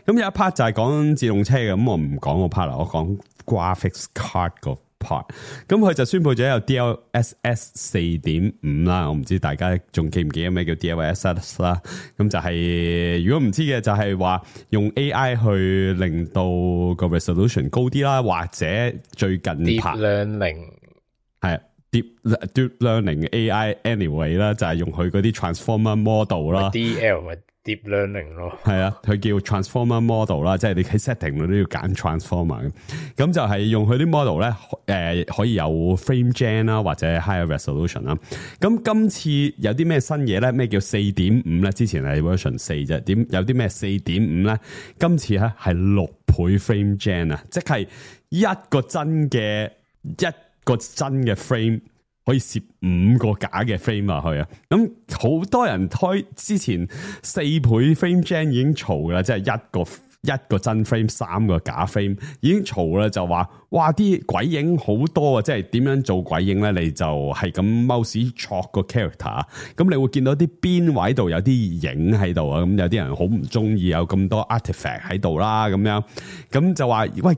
咁有一 part 就係講自動車嘅，咁我唔講個 part 啦，我講 graphics card 個。咁佢就宣布咗有 DLSS 4.5 啦，我唔知大家仲記唔記得咩叫 DLSS 啦？咁就係如果唔知嘅就係話用 AI 去令到個 resolution 高啲啦，或者最近 Deep Learning 係 Deep Learning AI anyway 啦，就係用佢嗰啲 Transformer Model 啦 ，DL Deep Learning 咯，係啊，佢叫 Transformer Model 啦，即係你喺 setting 度都要揀 Transformer 咁就係用佢啲 model 咧，可以有 frame gen 啦，或者 higher resolution 啦。咁今次有啲咩新嘢咧？咩叫 4.5 咧？之前係 version 4啫，有啲咩 4.5 咧？今次咧係6倍 frame gen 啊，即係一個真嘅 frame。可以攝5個假嘅 frame 落去啊！咁好多人開之前4倍 frame gen 已經嘈啦，即係一個真 frame 3個假 frame 已經嘈啦，就話哇啲鬼影好多啊！即係點樣做鬼影咧？你就係咁 mouse 戳個 character， 咁你會見到啲邊位度有啲影喺度啊！咁有啲人好唔中意有咁多 artifact 喺度啦，咁樣咁就話喂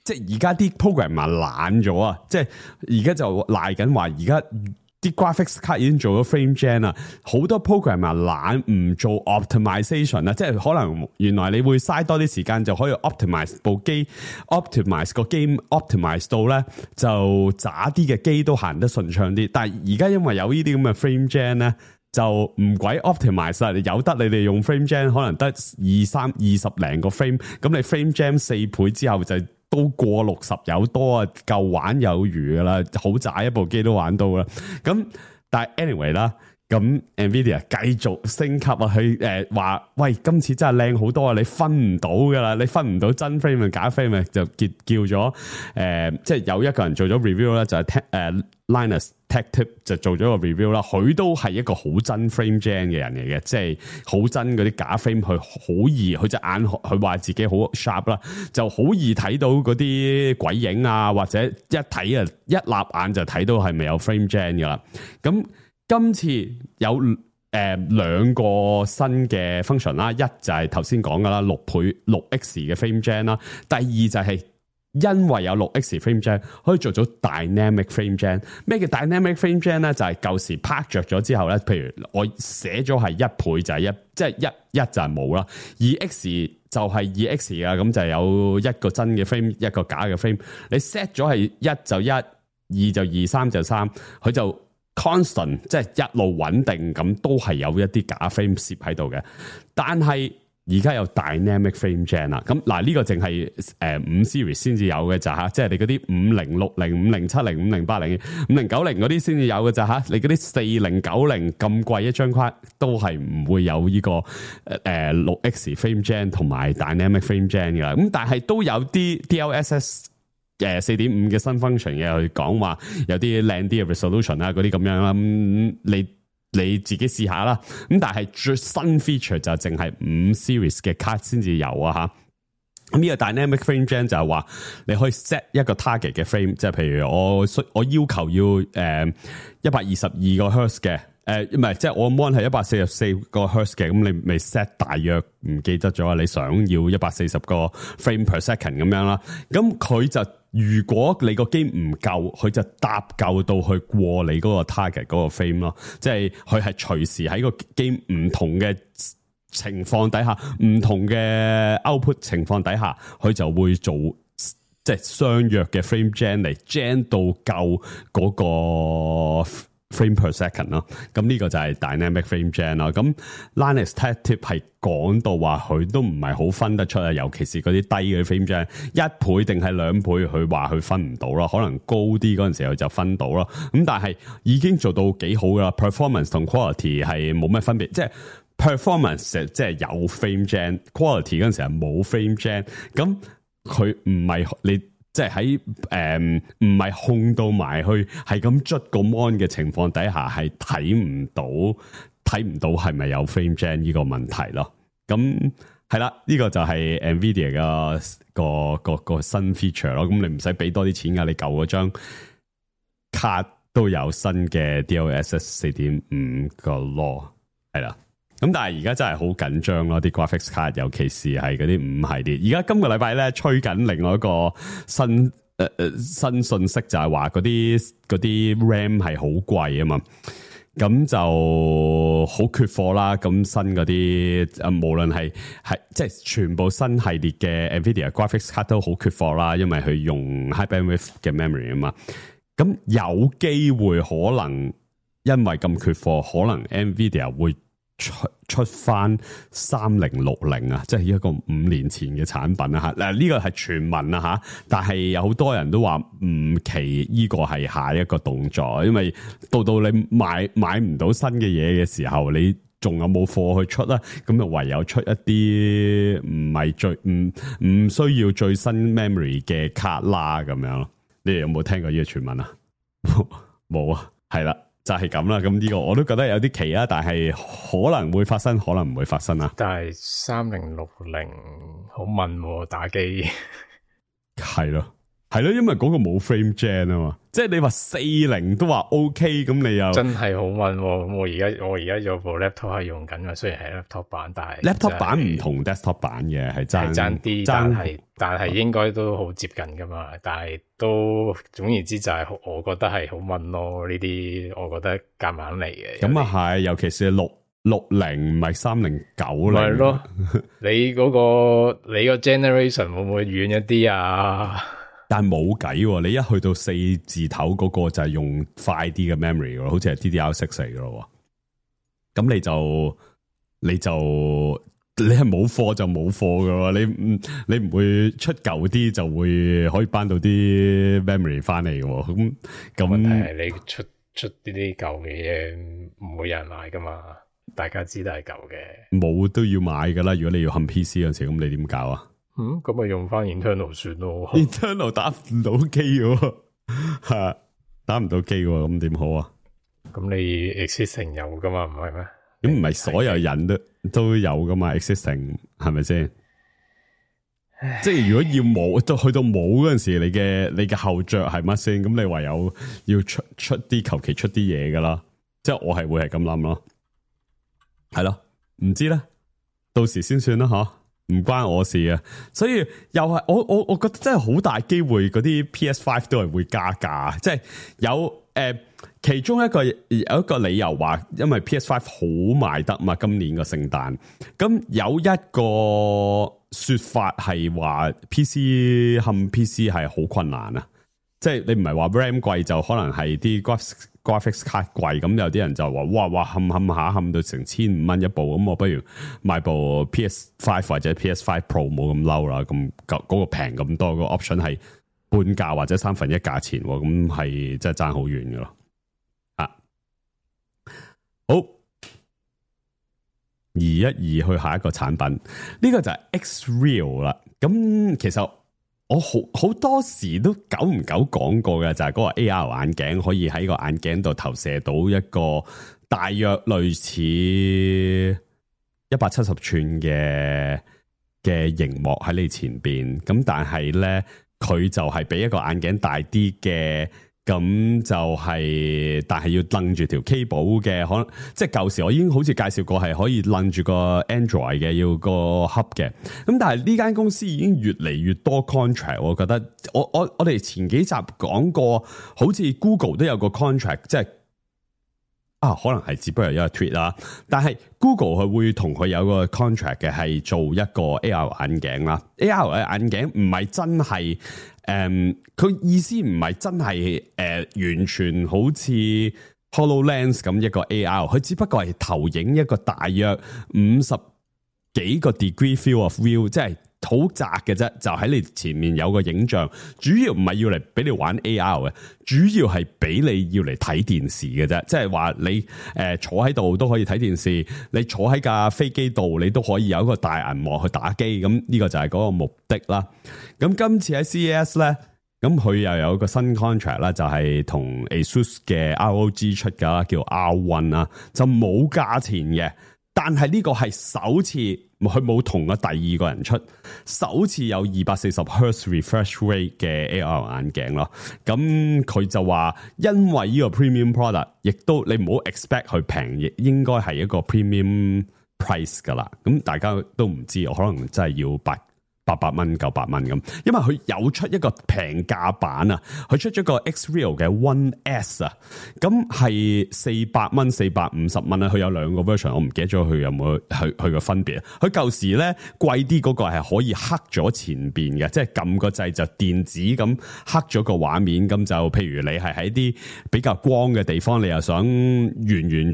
即係而家啲 programmer 懶咗啊！即係而家就賴緊話，而家啲 graphics 卡已經做咗 frame gen 啦，好多 programmer 懶唔做 optimization 啦，即係可能原來你會嘥多啲時間就可以 optimize 部機 ，optimize 個 game optimize 到咧就渣啲嘅機都行得順暢啲。但係而家因為有呢啲咁嘅 frame gen 咧，就唔鬼 optimize 啦，有得你哋用 frame gen 可能得20零個 frame， 咁你 frame gen 4倍之後就都過60有多啊，夠玩有餘噶啦，好渣一部機都玩到啦。咁但係 anyway 啦，咁 Nvidia 繼續升級啊，佢話喂，今次真係靚好多啊，你分唔到噶啦，你分唔到真 frame 同假 frame 就叫咗即係有一個人做咗 review 啦，就係Linus Tech Tip 就做咗個 review 啦，佢都係一個好真 frame gen 嘅人嚟嘅，即係好真嗰啲假 frame，佢好易，佢隻眼佢話自己好 sharp 啦，就好易睇到嗰啲鬼影啊，或者一睇啊一立眼就睇到係咪有 frame gen 噶啦。咁今次有兩個新嘅 function 啦，一就係頭先講噶啦6x 嘅 frame gen 啦，第二就係因為有6x frame gen 可以做到 dynamic frame gen。咩叫 dynamic frame gen 咧？就係舊時拍着咗之後咧，譬如我寫咗係1倍就係即係一就係冇啦，2x 就係 2x 啊，咁就有一個真嘅 frame 一個假嘅 frame。你 set 咗係1就1，2就2，3就3，佢就 constant 即係一路穩定咁，都係有一啲假 frame 攝喺度嘅。但係而家有 Dynamic Frame Gen 啦，咁嗱呢個淨係5 Series 先至有嘅咋嚇，即係你嗰啲5060、5070、5080、5090嗰啲先至有嘅咋嚇，你嗰啲4090咁貴一張卡都係唔會有呢個6X Frame Gen 同埋 Dynamic Frame Gen 嘅啦，咁但係都有啲 DLSS 4.5 嘅新 function 嘅，去講話有啲靚啲嘅 resolution 啊嗰啲咁樣啦，你自己試下啦，咁但係最新 feature 就淨係5 series 嘅卡先至有啊吓。咁呢個 dynamic frame gen 就係話你可以 set 一個 target 嘅 frame， 即係譬如我要求要122個 hertz 嘅，唔係即係我 mon 係144個 hertz 嘅，咁你咪 set 大約唔記得咗你想要140個 frame per second 咁樣啦，咁佢就如果你個機唔夠，佢就搭夠到去過你嗰個 target 嗰個 frame 咯，即係佢係隨時喺個機唔同嘅情況底下，唔同嘅 output 情況底下，佢就會做即係相約嘅 frame gen 嚟 gen 到夠嗰個 frame per second 咯，咁呢個就係 dynamic frame gen 啦。咁 Linus Tech Tip 係講到話佢都唔係好分得出啊，尤其是嗰啲低嘅 frame gen， 1倍定係2倍，佢話佢分唔到咯，可能高啲嗰陣時候就分到咯。咁但係已經做到幾好噶啦 ，performance 同 quality 係冇咩分別，即係 performance 即係有 frame gen，quality 嗰陣時係冇 frame gen， 咁佢唔係你。即係喺唔係控到埋去，係咁捽個 mon 嘅情況底下，係睇唔到係咪有 frame gen 呢個問題咯。咁係啦，呢個就係 Nvidia 嘅個新 feature 咯。咁你唔使俾多啲錢噶，你舊嗰張卡都有新嘅 DLSS 4.5個 law 係啦。咁但係而家真係好緊張咯，啲 graphics 卡，尤其是係嗰啲5系列。而家今個禮拜咧吹緊另外一個新信息，就係話嗰啲 RAM 係好貴啊嘛，咁就好缺貨啦。咁新嗰啲無論係即係全部新系列嘅 Nvidia graphics 卡都好缺貨啦，因為佢用 high bandwidth 嘅 memory 啊嘛。咁有機會可能因為咁缺貨，可能 Nvidia 會出翻3060啊，即係一個5年前嘅產品啊吓。嗱呢個係傳聞啊吓，但係有好多人都話唔奇呢個係下一個動作，因為到你買唔到新嘅嘢嘅時候，你仲有冇貨去出啦？咁就唯有出一啲唔係唔需要最新 memory 嘅卡啦咁樣咯。你哋有冇聽過呢個傳聞啊？冇啊，係啦。就係咁啦，咁呢個我都覺得有啲奇啊，但係可能會發生，可能唔會發生啊。但係3060好悶喎，打機係咯，因為嗰個冇 frame gen 啊嘛，即係你話40都話 OK， 咁你又真係好悶喎。咁我而家有部 laptop 係用緊啊，雖然係 laptop 版，但係 laptop 版唔同 desktop 版嘅，係爭啲，但係應該都好接近噶嘛。但係都總言之就係我覺得係好悶咯。呢啲我覺得夾硬嚟嘅。咁啊係，尤其是660唔係3090。係咯，你個 generation 會唔會遠一啲啊？但係冇計，你一去到4字頭嗰個就係用快啲嘅 memory 咯，好似係 DDR6 嚟噶咯。咁你係冇貨就冇貨噶，你唔會出舊啲就會可以搬到啲 memory 翻嚟嘅。咁問題係你出啲舊嘅嘢唔會有人買噶嘛？大家知道係舊嘅，冇都要買噶啦。如果你要冚 PC 嗰陣時，咁你點搞啊？咁咪用翻 internal 算咯。internal 打唔到機喎，係打唔到機喎，咁點好啊？咁你 existing 有噶嘛？唔係咩？咁唔係所有人都有噶嘛 ？existing 係咪先？即係如果要冇，到去到冇嗰陣時，你嘅後着係乜先？咁你唯有要出啲求其出啲嘢噶啦。即係我係會係咁諗咯，係咯，唔知咧，到時先算啦，吓。唔關我事啊，所以又係我覺得真係好大機會嗰啲 PS5 都係會加價，即係有其中有一個理由話，因為 PS5 好賣得嘛，今年個聖誕，咁有一個說法係話 PC 係好困難啊，即係你唔係話 RAM 貴就可能係啲 graphics 卡貴，咁有啲人就話哇冚到成1500一部，咁我不如買部 PS5 或者 PS5 Pro 冇咁嬲啦，咁嗰個平咁多，個 option 係半價或者1/3價錢，咁係真係爭好遠噶咯。好，移去下一個產品，呢個就係 X-Real 啦。咁其實我好多時都久唔久講過嘅，就係嗰個 AR 眼鏡可以喺個眼鏡度投射到一個大約類似170寸嘅熒幕喺你前邊，咁但係咧佢就係比一個眼鏡大啲嘅。咁就係，但係要掕住條 cable 嘅，可能即係舊時我已經好似介紹過，係可以掕住個 Android 嘅，要個 hub 嘅。咁但係呢間公司已經越嚟越多 contract， 我覺得我哋前幾集講過，好似 Google 都有個 contract， 即係可能係只不過有個 tweet 啦。但係 Google 佢會同佢有個 contract 嘅，係做一個 AR 眼鏡啦。AR 嘅眼鏡唔係真係。佢意思唔係真係完全好似 HoloLens 咁一個 AR， 佢只不過係投影一個大約50幾個 degree field of view， 即係好窄嘅啫，就喺你前面有個影像，主要唔係要嚟俾你玩 AR 嘅，主要係俾你要嚟睇電視嘅啫，即係話你坐喺度都可以睇電視，你坐喺架飛機度你都可以有一個大銀幕去打機，咁呢個就係嗰個目的啦。咁今次喺 CES 咧，咁佢又有一個新 contract 啦，就係同 ASUS 嘅 ROG 出噶啦，叫 R1 啦，就冇價錢嘅。但係呢個係首次，佢冇同過第二個人出，首次有240 Hz refresh rate 嘅 AR 眼鏡咯。咁佢就話，因為呢個 premium product， 亦都你唔好 expect 佢平，亦應該係一個 premium price 噶啦。咁大家都唔知，我可能真係要800蚊、900蚊咁，因為佢有出一個平價版啊，佢出咗個 X-Real 嘅 One S 啊，咁係400蚊、450蚊啊，佢有兩個 version， 我唔記得咗佢有冇佢個分別。佢舊時咧貴啲嗰個係可以黑咗前邊嘅，即係撳個掣就電子咁黑咗個畫面，咁就譬如你係喺啲比較光嘅地方，你又想完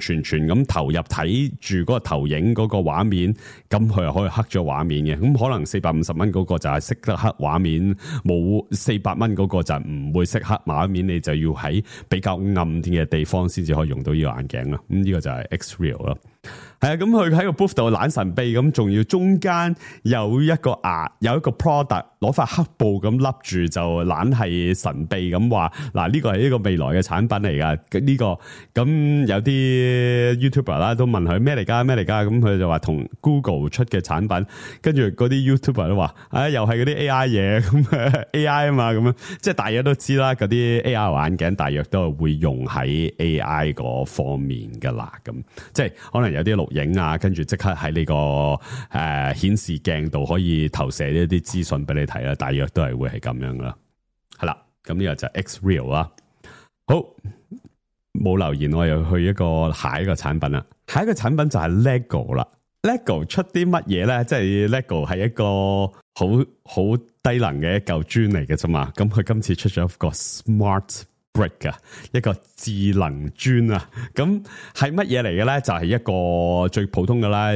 全咁投入睇住嗰個投影嗰個畫面，咁佢又可以黑咗畫面嘅，咁可能450蚊嗰個就係識得黑畫面，冇400蚊嗰個就唔會識黑畫面，你就要喺比較暗啲嘅地方先至可以用到呢個眼鏡啦。咁呢個就係 X-Real 啦。係啊，咁佢喺個 booth 度懶神秘咁，仲要中間有一個product 攞塊黑布咁笠住，就懶係神秘咁話嗱，呢個係一個未來嘅產品嚟噶。呢個咁有啲 YouTuber 啦都問佢咩嚟噶，咁佢就話同 Google 出嘅產品，跟住嗰啲 YouTuber 都話又係嗰啲 AI 嘢咁AI 啊嘛，咁樣即係大家都知啦，嗰啲 AR 眼鏡大約都係會用喺 AI 嗰方面噶啦，咁即係可能有啲錄影啊，跟住即刻喺呢個顯示鏡度可以投射一啲資訊俾你睇啦，大約都係會係咁樣啦。係啦，咁呢個就係 X-Real 啦。好，冇留言，我又去下一個產品啦。下一個產品就係 LEGO 啦。LEGO 出啲乜嘢咧？即係 LEGO 係一個好低能嘅一嚿磚嚟嘅啫嘛。咁佢今次出咗一個 Smart Brick 啊，一個智能磚啊，咁係乜嘢嚟嘅咧？就係一個最普通嘅啦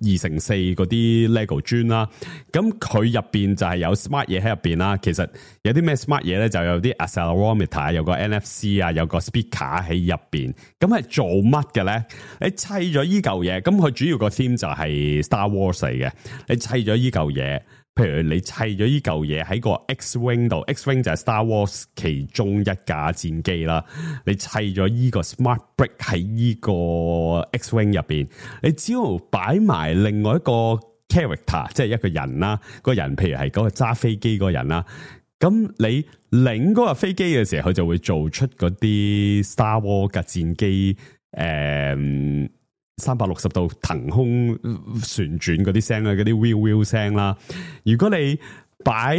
，2x4嗰啲 LEGO 磚啦。咁佢入邊就係有 smart 嘢喺入邊啦。其實有啲咩 smart 嘢咧？就有啲 accelerometer， 有個 NFC 啊，有個 speaker 喺入邊。咁係做乜嘅咧？你砌咗依嚿嘢，咁佢主要個 theme 就係 Star Wars 嚟嘅。你砌咗依嚿嘢。譬如你砌咗依嚿嘢喺個 X-Wing 度 ，X-Wing 就係 Star Wars 其中一架戰機啦。你砌咗依個 Smart Brick 喺依個 X-Wing 入邊，你只要擺埋另外一個 character， 即係一個人啦。個人譬如係嗰個揸飛機嗰個人啦，咁你擰嗰個飛機嘅時候，佢就會做出嗰啲 Star Wars 嘅戰機360度騰空旋轉嗰啲聲啦，嗰啲 wheel 聲啦。如果你擺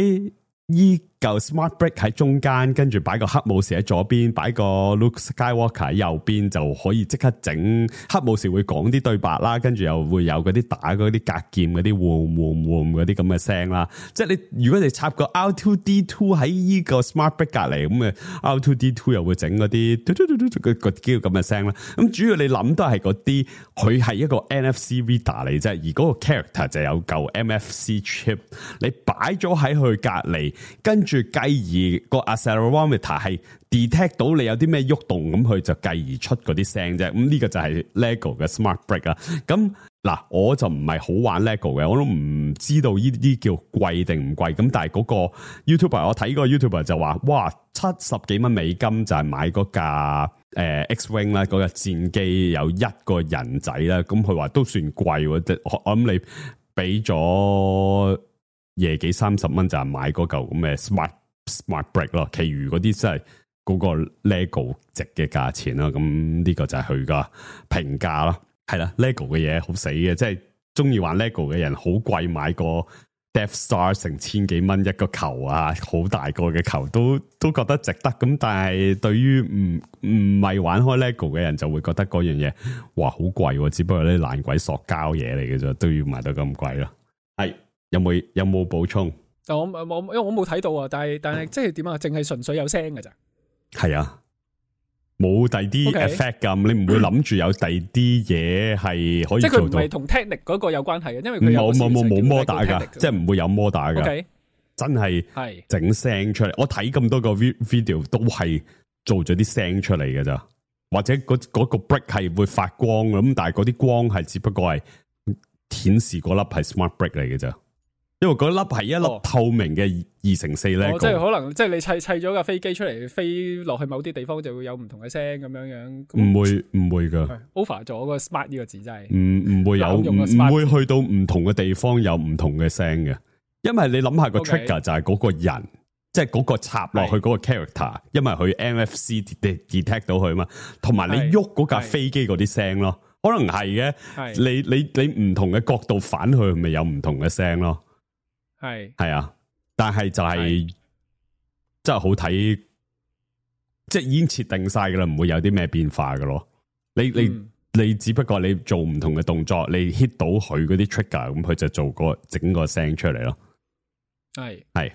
依嚿 smart brick 喺中間，跟住擺個黑武士喺左邊，擺個 Luke Skywalker 喺右邊，就可以即刻整黑武士會講啲對白啦，跟住又會有嗰啲打嗰啲格劍嗰啲嗡嗰啲咁嘅聲啦。即係你如果你插個 R2D2 喺呢個 smart brick 隔離，咁嘅 R2D2 又會整嗰啲嗰啲咁嘅聲啦。咁主要你諗都係嗰啲，佢係一個 NFC reader 嚟啫，而嗰個 character 就有嚿 MFC chip， 你擺咗喺佢隔離，跟住繼而個 accelerometer 係 detect 到你有啲咩喐動，咁佢就繼而出嗰啲聲啫。咁呢個就係 LEGO 嘅 smart brick 啦。咁嗱，我就唔係好玩 LEGO 嘅，我都唔知道呢啲叫貴定唔貴。咁但係嗰個 YouTuber， 我睇個 YouTuber 就話，哇，70幾蚊美金就係買嗰架X-Wing 啦，嗰架戰機有一個人仔啦。咁佢話都算貴喎，我諗你俾咗廿幾30蚊就係買嗰嚿咁嘅 smart brick 咯，其餘嗰啲真係嗰個 LEGO 值嘅價錢啦。咁呢個就係佢個評價啦。係啦 ，LEGO 嘅嘢好死嘅，即係中意玩 LEGO 嘅人好貴，買個 Death Star 成千幾蚊一個球啊，好大個嘅球都覺得值得。咁但係對於唔係玩開 LEGO 嘅人就會覺得嗰樣嘢哇好貴，只不過啲爛鬼塑膠嘢嚟嘅啫，都要賣到咁貴咯。係有冇補充？我因為我冇睇到啊，但係即係點啊？淨係純粹有聲㗎咋？係啊。冇第啲 effect 咁，你唔會諗住有第啲嘢係可以做到。即係佢唔係同 technic 嗰個有關係嘅，因為佢冇摩打噶，即係唔會有摩打噶。Okay. 真係整聲出嚟。我睇咁多個 video 都係做咗啲聲出嚟嘅咋，或者嗰個 brick 係會發光咁，但係嗰啲光係只不過係顯示嗰粒係 smart brick 嚟嘅咋。因為嗰粒係一粒透明嘅2×4 LEGO，即係可能即係你砌咗架飛機出嚟，飛落去某啲地方就會有唔同嘅聲咁樣。唔會噶 over 咗個 smart 呢個字真係唔會有，唔會去到唔同嘅地方有唔同嘅聲嘅。因為你諗下個 trigger 就係嗰個人，即係嗰個插落去嗰個 character，因為佢 NFC detect 到佢嘛，同埋你喐嗰架飛機嗰啲聲咯，可能係嘅。你唔同嘅角度反去，咪有唔同嘅聲咯。係啊，但係就係真係好睇，即係已經設定晒噶啦，唔會有啲咩變化噶咯。你只不過你做唔同嘅動作，你 hit 到佢嗰啲 trigger， 咁佢就做整個聲出嚟咯。係，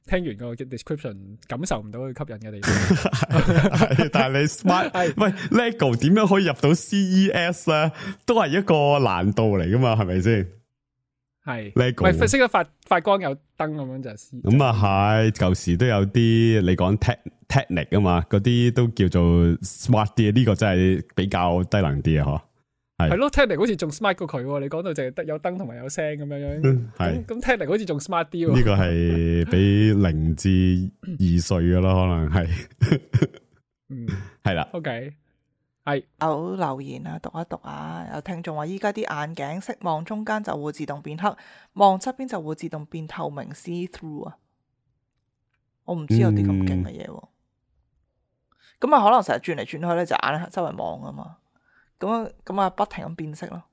聽完個 description 感受唔到佢吸引嘅地方。但係你 smart， 喂 LEGO 點樣可以入到 CES 咧？都係一個難度嚟噶嘛，係咪先？係 LEGO， 咪識得發光有燈咁樣就係。咁啊係，舊時都有啲你講 technic 啊嘛，嗰啲都叫做 smart 啲，呢個真係比較低能啲啊，嗬。係咯 technic 好似仲 smart 過佢，你講到淨係得有燈同埋有聲咁樣。係咁 technic 好似仲 smart 啲。呢個係俾0至2歲噶啦，可能係。係啦。OK。係有留言啊，讀一讀啊。有聽眾話依家啲眼鏡色望中間就會自動變黑，望側邊就會自動變透明 see through 啊。我唔知有啲咁勁嘅嘢，咁啊可能成日轉嚟轉去咧，就眼周圍望啊嘛。咁啊不停咁變色咯。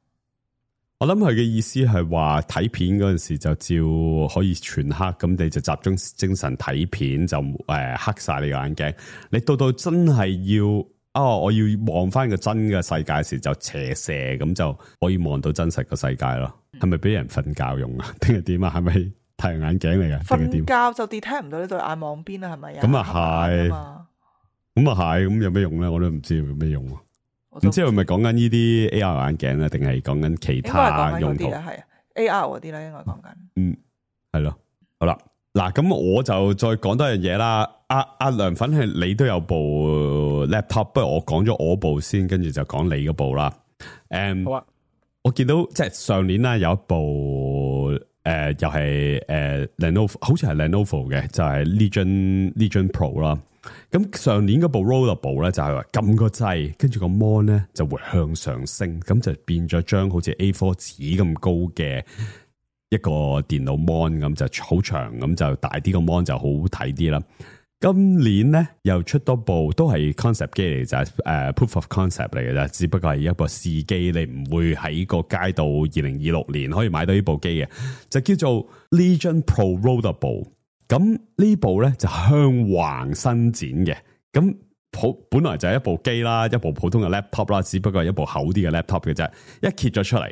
我諗佢嘅意思係話睇片嗰陣時就照可以全黑，咁你就集中精神睇片就黑晒你個眼鏡。你到真係要。我要望翻個真嘅世界時就斜射，咁就可以望到真實個世界咯。係咪俾人瞓覺用啊？定係點啊？係咪太陽眼鏡嚟嘅？瞓覺就 detect 唔到呢對眼望邊啊？係咪啊？咁啊係，咁啊係，咁有咩用咧？我都唔知有咩用。唔知係咪講緊呢啲 AR 眼鏡啊？定係講緊其他用途？係 AR 嗰啲咧，應該講緊。係咯，好啦。嗱，咁我就再講多樣嘢啦。阿涼粉係你都有部 laptop， 不如我講咗我部先，跟住就講你嗰部啦。好啊。我見到即係上年啦，有一部又係Lenovo， 好似係 Lenovo 嘅，就係 Legion Pro 啦。咁上年嗰部 Rollable 咧，就係話撳個掣，跟住個 mon 咧就會向上升，咁就變咗張好似 A4 紙咁高嘅一個電腦 mon，咁就好長，咁就大啲個 mon 就好睇啲啦。今年咧又出多部都係 concept 機嚟，就係proof of concept 嚟嘅啫，只不過係一個試機，你唔會喺個街度2026年可以買到呢部機嘅，就叫做 Legion Pro Rollable。咁呢部咧就向橫伸展嘅，咁本來就係一部機啦，一部普通嘅 laptop 啦，只不過係一部厚啲嘅 laptop 嘅啫，一揭咗出嚟，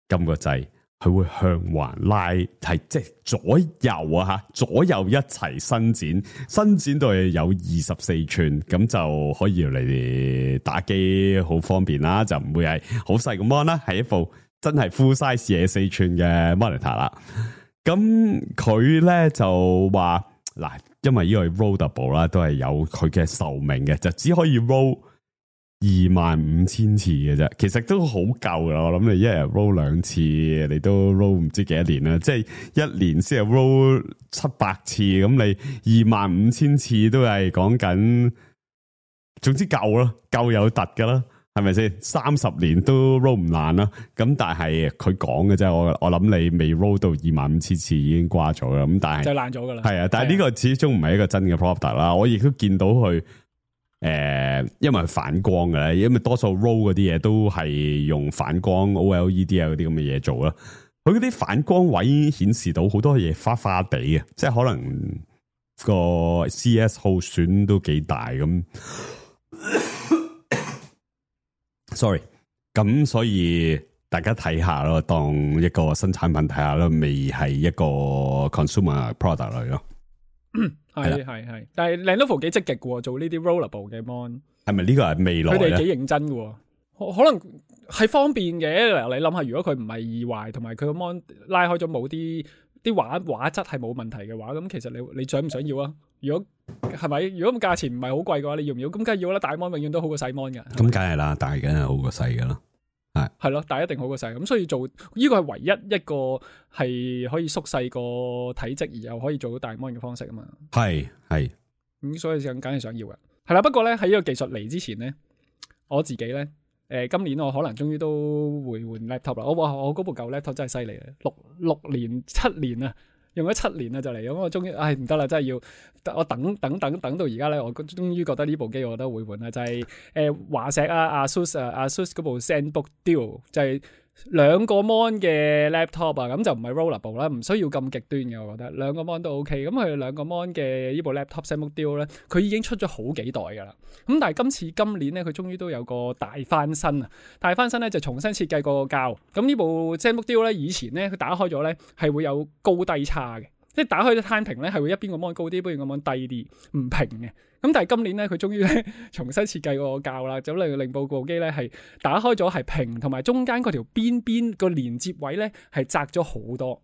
撳個掣。佢會向橫拉，係即係左右啊吓，左右一齊伸展到係有24寸，咁就可以嚟打機好方便啦，就唔會係好細個 mon 啦，係一部真係 full size 24寸嘅 monitor 啦。咁佢咧就話嗱，因為呢個 rollable 啦，都係有佢嘅壽命嘅，就只可以 roll 25,000次嘅啫，其實都好夠啦。我諗你一日 roll 2次，你都 roll 唔知幾多年啦。即係一年先係 roll 700次，咁你25,000次都係講緊，總之夠啦，夠有突噶啦，係咪先？30年都 roll 唔爛啦。咁但係佢講嘅啫，我諗你未 roll 到25,000次已經瓜咗啦。咁但係就爛咗噶啦。係啊，但係呢個始終唔係一個真嘅 product 啦。我亦都見到佢。因為反光嘅咧，因為多數 roll 嗰啲嘢都係用反光 OLED 啊嗰啲咁嘅嘢做啦。佢嗰啲反光位顯示到好多嘢花花地嘅，即係可能個 CS 耗損都幾大咁。Sorry， 咁所以大家睇下咯，當一個新產品睇下咯，未係一個 consumer product 嚟咯。係，但係 Lenovo 幾積極嘅，做呢啲 rollable 嘅 mon， 係咪呢個係未來？佢哋幾認真嘅，可能係方便嘅。你諗下，如果佢唔係易壞，同埋佢個 mon 拉開咗冇啲畫質係冇問題嘅話，咁其實你想唔想要啊？如果係咪？如果咁價錢唔係好貴嘅話，你要唔要？咁梗係要啦，大 mon 永遠都好過細 mon 嘅。咁梗係啦，大梗係好過細嘅啦。係咯，但係一定好過細，咁所以做呢個係唯一一個係可以縮細個體積而又可以做到大 mon 嘅方式啊嘛。係咁，所以就梗係想要嘅。係啦，不過咧喺呢個技術嚟之前咧，我自己咧今年我可能終於都會換 laptop 啦。我嗰部舊 laptop 真係犀利嘅，6年7年啊，用咗7年啊就嚟，咁我終於唔得啦，真係要我等到而家咧，我終於覺得呢部機我覺得會換啦，就係華碩ASUS 嗰部 ZenBook Duo， 就係2個 mon 嘅 laptop 啊，咁就唔係 rollable 啦，唔需要咁極端嘅，我覺得2個 mon 都 OK。咁佢2個 mon 嘅呢部 laptop ZenBook Duo 咧，佢已經出咗好幾代噶啦。咁但係今年咧，佢終於都有個大翻身啊！大翻身咧就重新設計個膠。咁呢部 ZenBook Duo 咧，以前咧佢打開咗咧係會有高低差嘅。即係打開咗攤平咧，係會一邊個 mon 高啲，一邊個 mon 低啲，唔平嘅。咁但係今年咧，佢終於咧重新設計個膠啦，就令部機咧係打開咗係平，同埋中間嗰條邊個連接位咧係窄咗好多。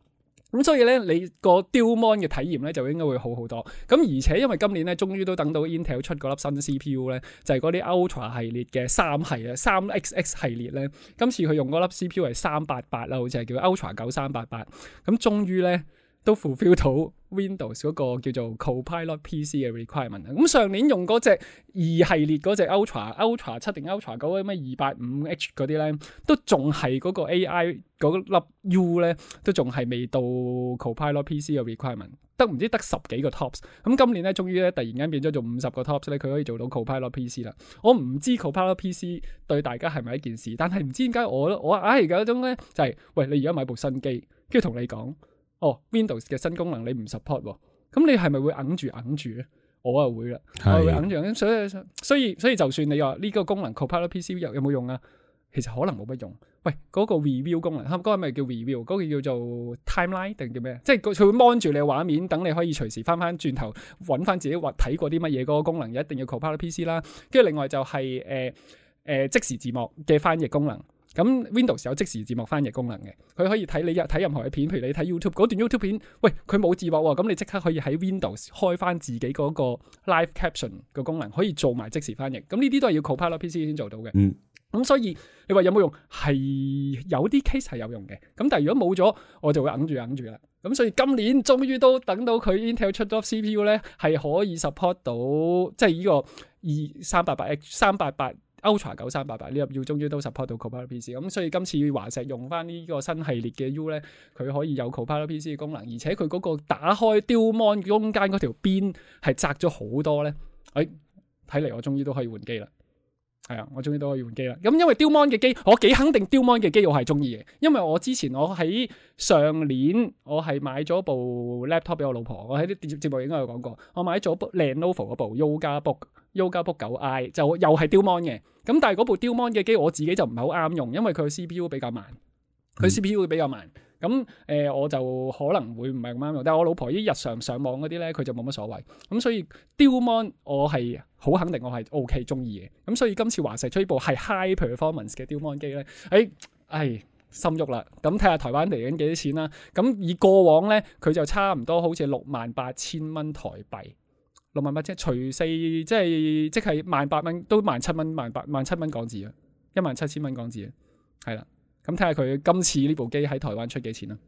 咁所以咧，你個 Dual Mon 嘅體驗咧就應該會好好多。咁而且因為今年咧，終於都等到 Intel 出嗰粒新 CPU 咧，就係嗰啲 Ultra 系列嘅3XX 系列咧。今次佢用嗰粒 CPU 係388啦，好似係叫 Ultra 9388。咁終於咧都 fulfill 到 Windows 嗰個叫做 Copilot PC 嘅 requirement。咁上年用嗰隻2系列嗰隻 Ultra 7定 Ultra 9嗰啲咩285H 嗰啲咧，都仲係嗰個 AI 嗰粒 U 咧，都仲係未到 Copilot PC 嘅 requirement， 得10幾個 tops。咁今年咧，終於咧突然間變咗做50個 tops 咧，佢可以做到 Copilot PC 啦。我唔知 Copilot PC 對大家係咪一件事，但係唔知點解我而家嗰種咧就係，喂，你而家買部新機，跟住同你講。Windows 嘅新功能你唔 support 喎，咁你係咪會揞住咧？我啊會啦，我會揞住，所以就算你話呢個功能 Copilot PC 有冇用啊？其實可能冇乜用。喂，嗰個 review 功能，嗰個咪叫 review， 嗰個叫做 timeline 定叫咩？即係佢會 mon 住你嘅畫面，等你可以隨時翻轉頭揾翻自己睇過啲乜嘢嗰個功能，一定要 Copilot PC 啦。跟住另外就係即時字幕嘅翻譯功能。咁 Windows 有即時字幕翻譯功能嘅，佢可以睇你睇任何嘅片，譬如你睇 YouTube 嗰段 YouTube 片，喂，佢冇字幕喎，咁你即刻可以喺 Windows 開翻自己嗰個 Live Caption 嘅功能，可以做埋即時翻譯。咁呢啲都係要 Copilot PC 先做到嘅。咁所以你話有冇用？係有啲 case 係有用嘅。咁但係如果冇咗，我就會揞住啦。咁所以今年終於都等到佢 Intel 出咗 CPU 咧，係可以 support 到即係呢個388 Ultra 9388呢粒 U 終於都 support 到 Copilot PC， 咁所以今次華碩用翻呢個新系列嘅 U 咧，佢可以有 Copilot PC 嘅功能，而且佢嗰個打開 Dual Mon 中間嗰條邊係窄咗好多咧，睇嚟我終於都可以換機啦。係啊，我終於都可以換機啦。咁因為 Dual Mon 嘅機，我幾肯定 Dual Mon 嘅機我係中意嘅，因為我之前我喺上年我係買咗部 laptop 俾我老婆，我喺啲節目應該有講過，我買咗部 Lenovo 嗰部 Yoga Book 9i 就又係 Dual Mon 嘅。咁但係嗰部 Dual Mon 嘅機我自己就唔係好啱用，因為佢 CPU 比較慢，佢 CPU 會比較慢。咁我就可能會唔係咁啱用，但係我老婆啲日常上網嗰啲咧，佢就冇乜所謂。咁所以 Dual Mon 我係好肯定我係 OK 中意嘅。咁所以今次華碩出呢部係 High Performance 嘅 Dual Mon 機咧，心喐啦。咁睇下台灣嚟緊幾多錢啦。咁以過往咧，佢就差唔多好似68,000蚊台幣，68,000除4即係18,000蚊，都17,000蚊17,000蚊港紙啊，17,000蚊港紙啊，係啦。咁睇下佢今次呢部機喺台灣出幾錢啦？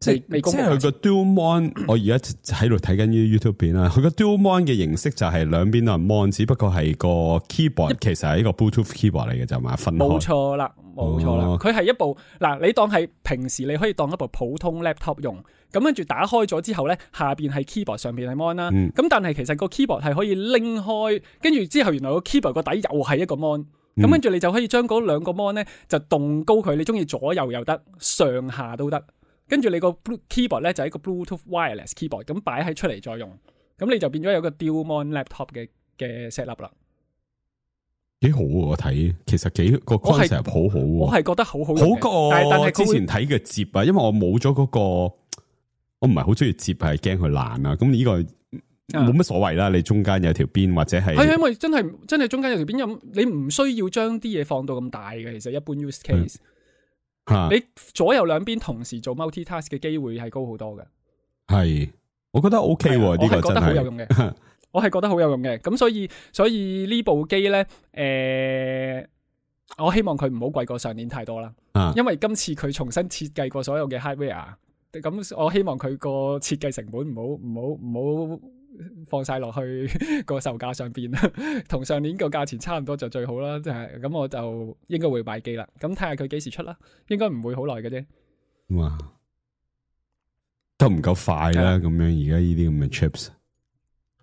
即係佢個 Dual Mon， 我而家喺度睇緊啲 YouTube 片啦。佢個 Dual Mon 嘅形式就係兩邊都係 Mon， 只不過係個 keyboard 其實係一個 Bluetooth keyboard 嚟嘅就嘛，分開。冇錯啦。佢係一部你當係平時你可以當一部普通 laptop 用，咁跟住打開咗之後咧，下邊係 keyboard， 上邊係 Mon 啦。咁但係其實個 keyboard 係可以拎開，跟住之後原來個 keyboard 個底又係一個 Mon。咁跟住你就可以將嗰兩個 mon 咧就動高佢，你中意左右又得，上下都得。跟住你個 keyboard 咧就係一個 Bluetooth wireless keyboard， 咁擺喺出嚟再用，咁你就變咗有個 Dual Mon laptop 嘅 set up 啦。幾好喎！我睇其實個 concept 好好，我係覺得好好用，好過但係之前睇嘅摺啊，因為我冇咗嗰個，我唔係好中意摺，係驚佢爛啊。咁呢個冇乜所謂啦，你中間有條邊或者係因為真係中間有條邊，你唔需要將啲嘢放到咁大嘅。其實一般 use case，你左右兩邊同時做 multitask 嘅機會係高好多嘅。係，我覺得 OK 喎，呢個真係我係覺得好有用嘅。我係覺得好有用嘅。咁所以呢部機咧，我希望佢唔好貴過上年太多啦。因為今次佢重新設計過所有嘅 hardware， 咁我希望佢個設計成本唔好放晒落去個售價上邊，同上年個價錢差唔多就最好啦。即係咁，我就應該會買機啦。咁睇下佢幾時出啦，應該唔會好耐嘅啫。哇，都唔夠快啦！咁樣而家呢啲咁嘅 chips，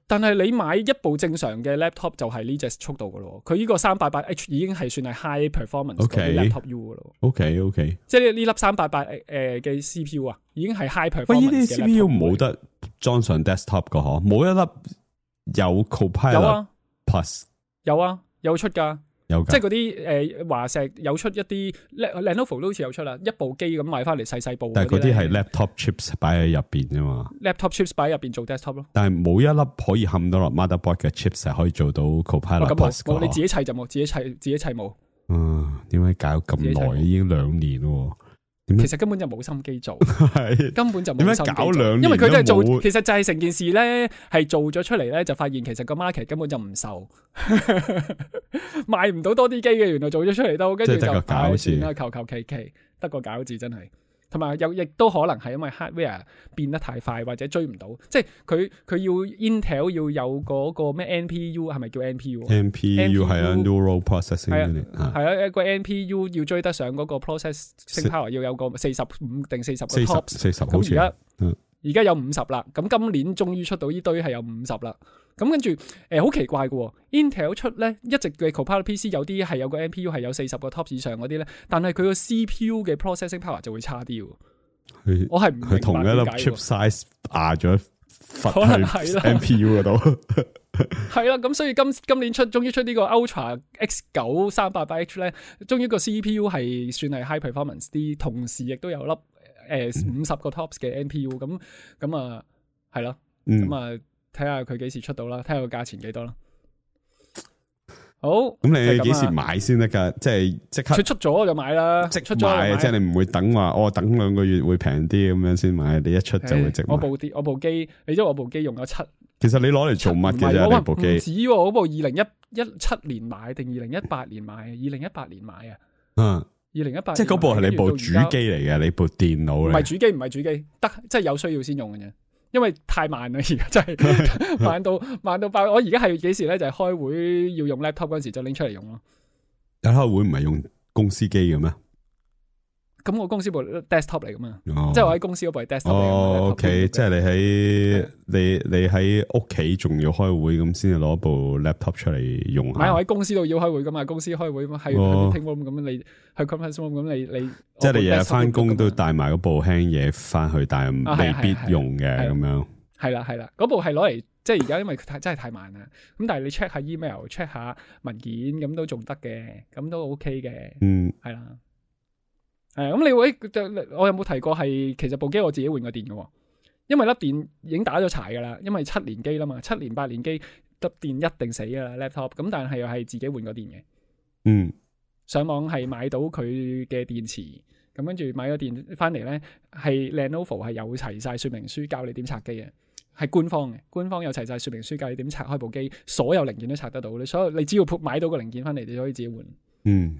但係你買一部正常嘅 laptop 就係呢隻速度噶咯。佢呢個388H 已經係算係 high performance 嘅 laptop U 噶咯。OK， 即係呢粒388嘅 CPU 啊，已經係 high performance 嘅 laptop。喂，呢啲 CPU 冇得裝上 desktop 噶嗬？冇一粒有 Copilot Plus 有啊，有出噶。即係嗰啲華碩有出一啲 Lenovo 都好似有出啦，一部機咁買翻嚟細部。但係嗰啲係 laptop chips 擺喺入邊啫嘛。laptop chips 擺喺入邊做 desktop 咯。但係冇一粒可以冚到落 motherboard 嘅 chips 係可以做到 Copilot Plus 㗎。你自己砌就冇，自己砌冇。點解搞咁耐？已經2年咯。其實根本就冇心機做，根本就冇心機做。點解搞2年？因為佢都係做，其實就係成件事咧，係做咗出嚟咧，就發現其實個 market 根本就唔受，賣唔到多啲機嘅。原來做咗出嚟都，跟住就算啦，求其，得個搞字真係。同埋又亦都可能係因為 hardware 變得太快或者追唔到，即係佢要 Intel 要有嗰個咩 NPU 係咪叫 NPU 係啊 Neural Processing Unit 係啊，一個 NPU 要追得上嗰個 processing power 要有個45定40個 TOPS 40好似而家有50啦，咁今年終於出到呢堆係有50啦。咁跟住好奇怪嘅，Intel 出咧一直嘅 Copilot PC 有啲係有個 NPU 係有40個 TOPS 以上嗰啲咧，但係佢個 CPU 嘅 processing power 就會差啲。我係唔明白點解。佢同一粒 chip size 壓咗去 NPU 嗰度。係啦，咁所以今年終於出呢個 Ultra X9 388H 咧，終於個 CPU 係算係 high performance 啲，同時亦都有粒50個 TOPS 嘅 NPU， 咁啊係咯，咁啊。睇下佢幾時出到啦，睇下個價錢幾多啦。好，咁你幾時買先得噶？即係即刻佢出咗我就買啦，即出咗買，即係你唔會等話我等2個月會平啲咁樣先買，你一出就會即買。我部機，你知我部機用咗7。其實你攞嚟做乜嘅啫？呢部機唔止喎，嗰部2017年買定2018年買？2018年買啊。2018即係嗰部係你部主機嚟嘅，你部電腦嚟。唔係主機，得即係有需要先用嘅啫。因為太慢啦，而家真係慢到爆。我而家係幾時咧？就係開會要用 laptop 嗰時就拎出嚟用咯。但開會唔係用公司機嘅咩？咁我公司部 desktop 嚟噶嘛，即係我喺公司嗰部係 desktop 嚟。OK， 即係你喺屋企仲要開會咁，先至攞部 laptop 出嚟用下。唔係我喺公司度要開會噶嘛，公司開會係 meeting room 咁，你去 conference room 咁，你即係你日日翻工都帶埋嗰部輕嘢翻去，但係未必用嘅咁樣。係啦，嗰部係攞嚟，即係而家因為真係太慢啦。咁但係你 check 下 email，check 下文件咁都仲得嘅，咁都 OK 嘅。係啦。咁你會我有冇提過係其實部機我自己換個電嘅，因為粒電已經打咗柴噶啦，因為7年機啦嘛，7年8年機粒電一定死噶啦 laptop， 咁但係又係自己換個電嘅。上網係買到佢嘅電池，咁跟住買咗電翻嚟咧，係 Lenovo 係有齊晒說明書教你點拆機嘅，係官方有齊晒說明書教你點拆開部機，所有零件都拆得到，你只要買到個零件翻嚟，你就可以自己換。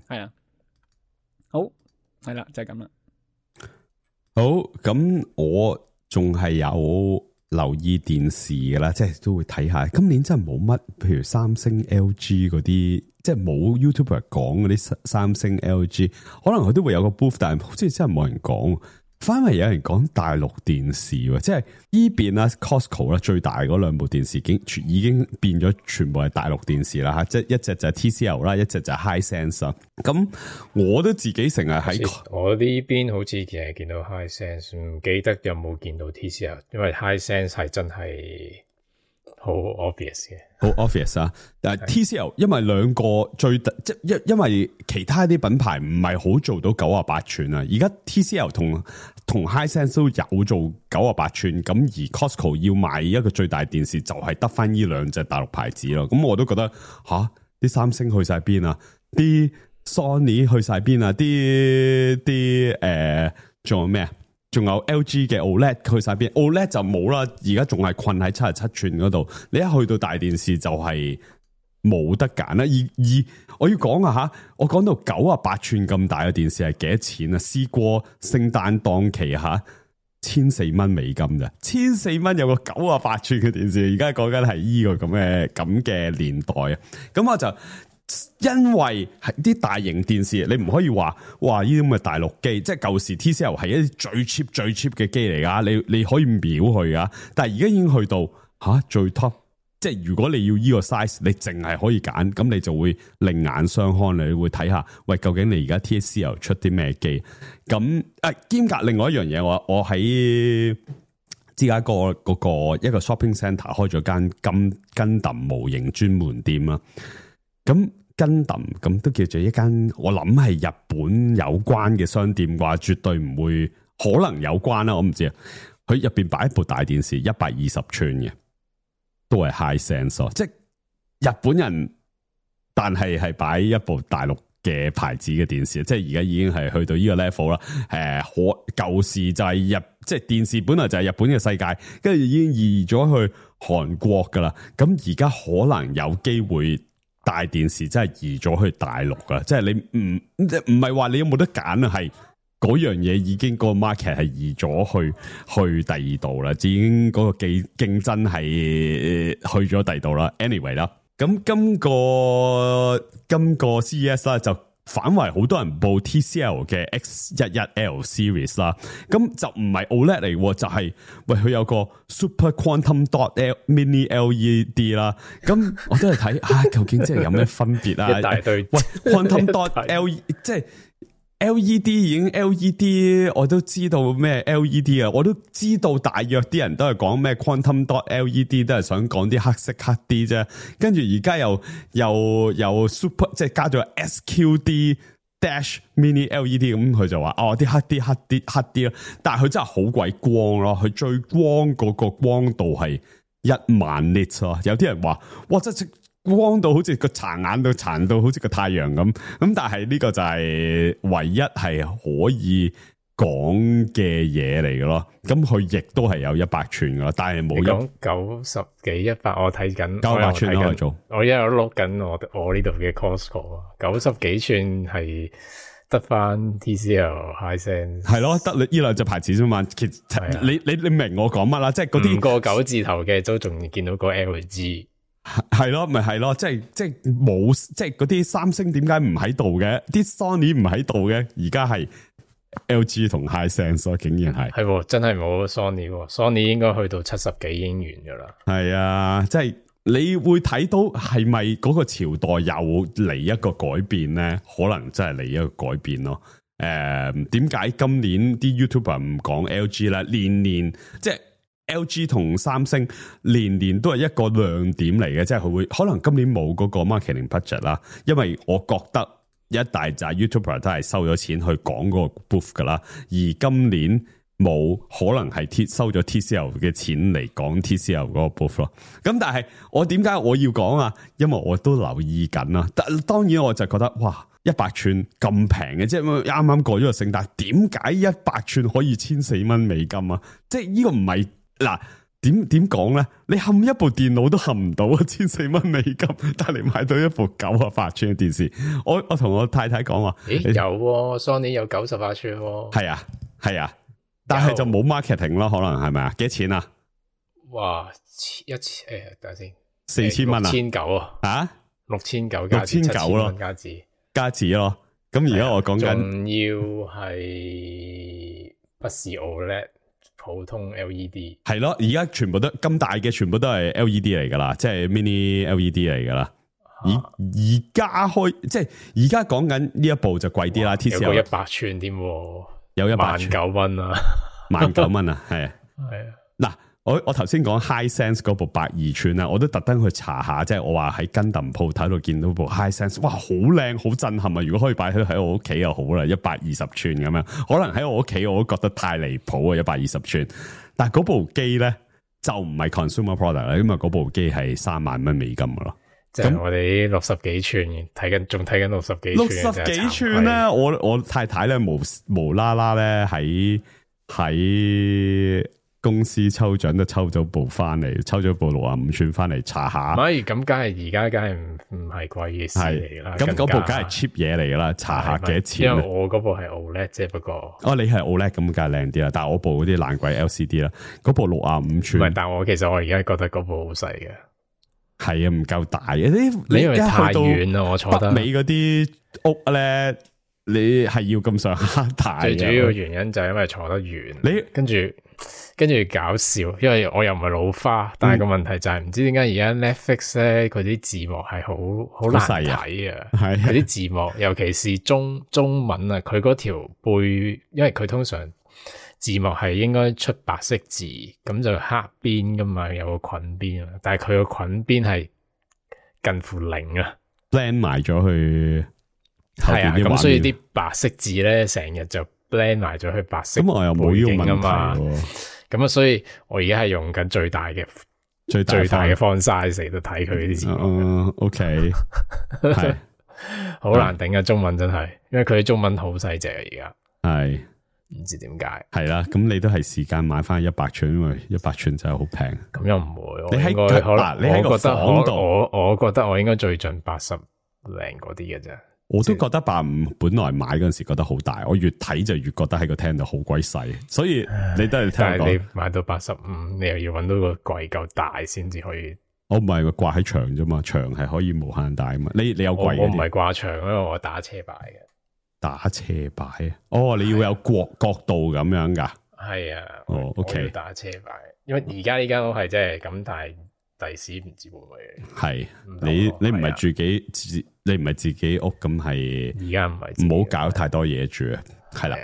係啊，好。係啦，就係咁啦。好，咁我仲係有留意電視噶啦，即係都會睇下。今年真係冇乜，譬如三星、LG 嗰啲，即係冇 YouTuber 講嗰啲三星、LG，可能佢都會有個 booth， 但係好似真係冇人講。反為有人講大陸電視，即係依邊啦 Costco 啦，最大嗰兩部電視已經變咗全部係大陸電視啦吓，即係一隻就係 TCL 啦，一隻就係 Hisense 啦。咁我都自己成日喺我呢邊好似其實見到 Hisense， 唔記得有冇見到 TCL， 因為 Hisense 係真係好 obvious 嘅，好 obvious 啊！但係 TCL 因為兩個即因為其他啲品牌唔係好做到98寸啊，而家 TCL 同 Hisense 都有做98寸，咁而 Costco 要賣一個最大電視就係得翻呢兩隻大陸牌子咯。咁我都覺得啲三星去晒邊啊，啲 Sony 去晒邊啊，仲有咩啊？仲有 LG 嘅 OLED 去晒邊 ？OLED 就冇啦，而家仲係困喺77寸嗰度。你一去到大電視就係冇得揀啦。而我要講啊吓，我講到98寸咁大嘅電視係幾多錢啊？試過聖誕檔期吓，1,400蚊美金咋？1,400蚊有個98寸嘅電視，而家講緊係呢個咁嘅年代啊！咁我就。因為係啲大型電視，你唔可以話哇呢啲咁嘅大陸機，即係舊時 TCL 係一啲最 cheap 嘅機嚟噶，你可以秒去噶，但係而家已經去到最 top， 即係如果你要呢個 size， 你淨係可以揀，咁你就會另眼相看，你會睇下喂究竟你而家 TCL 出啲咩機？咁兼夾另外一樣嘢，我喺芝加哥嗰個一個 shopping centre 開咗間Gundam模型專門店啊。咁Gundam咁都叫做一間，我諗係日本有關嘅商店啩，絕對唔會可能有關啦，我唔知啊。佢入邊擺一部大電視，120寸嘅，都係 Hisense， 即係日本人，但係擺一部大陸嘅牌子嘅電視，即係而家已經係去到呢個 level 啦。舊時就係即係電視本來就係日本嘅世界，跟住已經移咗去韓國噶啦。咁而家可能有機會。大電視真係移咗去大陸噶，即係你唔係話你有冇得揀啊？係嗰樣嘢已經個 market 係移咗去第二度啦，已經嗰個競爭係去咗第二度啦。Anyway 啦，咁今個 CES 啦就反為好多人報 TCL 嘅 X11L Series 啦，咁就唔係 OLED 嚟，就係喂佢有個 Super Quantum Dot Mini LED 啦，咁我都係睇究竟即係有咩分別啊？一大堆喂 Quantum Dot LED 即係 LED 已經 LED， 我都知道咩 LED 啊，我都知道大約啲人都係講咩 Quantum Dot LED， 都係想講啲黑色黑啲啫。跟住而家又 Super， 即係加咗 SQD Dash Mini LED， 咁佢就話啲黑啲咯。但係佢真係好鬼光咯，佢最光嗰個光度係10000 nits 咯。有啲人話哇真係光到好似個殘眼到殘到好似個太陽咁，但係呢個就係唯一係可以講嘅嘢嚟嘅咯。咁佢亦都係有100寸噶，但係冇講90幾100，我睇緊900寸可以做。我一路碌緊我呢度嘅 Costco 啊，90幾寸係得翻 TCL Hisense 係咯，得你呢兩隻牌子啫嘛。其實你明我講乜啦？即係嗰啲5個9字頭嘅都仲見到個 LG。係咯，咪係咯，即係冇，即係嗰啲三星點解唔喺度嘅？啲 Sony 唔喺度嘅，而家係 LG 同 Hisense 竟然係真係冇 Sony 應該去到70幾已經完噶啦。係啊，即係你會睇到係咪嗰個朝代又嚟一個改變咧？可能真係嚟一個改變咯。點解今年啲 YouTuber 唔講 LG 咧？年即係。LG 同三星年都係一個亮點嚟嘅，即係佢會可能今年冇嗰個 marketing budget 啦，因為我覺得一大紮 YouTuber 都係收咗錢去講嗰個 booth 噶啦，而今年冇可能係收咗 TCL 嘅錢嚟講 TCL 嗰個 booth 咯。咁但係我點解我要講啊？因為我都留意緊啦。但當然我就覺得哇，100寸咁平嘅，即係啱啱過咗個聖誕，點解100寸可以$1400啊？即係呢個唔係。嗱，點講咧？你冚一部電腦都冚唔到$1400，但係你買到一部98寸嘅電視。我同我太太講話，有Sony 有98寸，係啊，但係就冇 marketing 咯，可能係咪啊？幾多錢啊？哇，等下先，$4000啊，6900啊，6900咯，加紙咯。咁而家我講緊，仲要係不是 OLED。普通 LED 係咯，而家全部都咁大嘅，全部都係 LED 嚟噶啦，即係 mini LED 嚟噶啦。而家即係而家講緊呢一部就貴啲啦。TCL 有個100寸添，有1009蚊啊，19,000啊，係啊。嗱，我頭先講 Hisense 嗰部82寸啦，我都特登去查下，即係我話喺Gundam鋪睇到見到部 Hisense， 哇，好靚，好震撼啊！如果可以擺喺我屋企又好啦，120寸咁樣，可能喺我屋企我都覺得太離譜啊，120寸。但係嗰部機咧就唔係 consumer product 啦，因為嗰部機係$30,000噶咯。即係我哋60幾寸仲睇緊60幾寸，60幾寸咧，我太太咧無啦啦咧喺公司抽獎都抽咗部翻嚟，抽咗部65寸翻嚟查下。唔係咁，梗係而家梗係唔係貴嘅事嚟啦。咁嗰部梗係 cheap 嘢嚟噶啦，查下幾多錢。因為我嗰部係 OLED 啫，不過你係 OLED 咁梗係靚啲啦。但係我部嗰啲爛鬼 LCD 啦，嗰部65寸。唔係，但係其實我而家覺得嗰部好細嘅。係啊，唔夠大嘅。你因為太遠啦，我坐得北美嗰啲屋咧，你係要咁上下大。最主要原因就係因為坐得遠。你跟住搞笑，因為我又唔係老花，但係個問題就係唔知點解而家 Netflix 咧，佢啲字幕係好難睇啊！佢啲字幕，尤其是中文啊，佢嗰條背，因為佢通常字幕係應該出白色字，咁就黑邊噶嘛，有個菌邊啊，但係佢個菌邊係近乎0啊 ，blend 埋咗去。係啊，咁所以啲白色字咧，成日就 blend 埋咗去白色。咁我又冇呢個問題。咁啊，所以我而家係用緊最大嘅 font size 嚟到睇佢啲字幕。OK， 係好難頂啊！中文真係，因為佢中文好細隻啊，而家係唔知點解。係啦，咁你都係時間買翻100寸，因為100寸真係好平。咁又唔會，你喺你喺個房度，我覺得我應該最盡80零嗰啲嘅啫。我都覺得85本來買嗰陣時覺得好大，我越睇就越覺得喺個廳度好鬼細，所以你都係聽我講。但係你買到85，你又要搵到個櫃夠大先至可以。我唔係掛喺牆啫嘛，牆係可以無限大啊嘛。你有櫃？我唔係掛牆，因為我打車擺嘅。打車擺啊？你要有角度咁樣噶？係啊。OK。我要打車擺，因為而家呢間屋係真係咁，但係第時唔知會唔會。係你唔係你唔係自己屋咁係，而家唔係，唔好搞太多嘢住啊，係啦。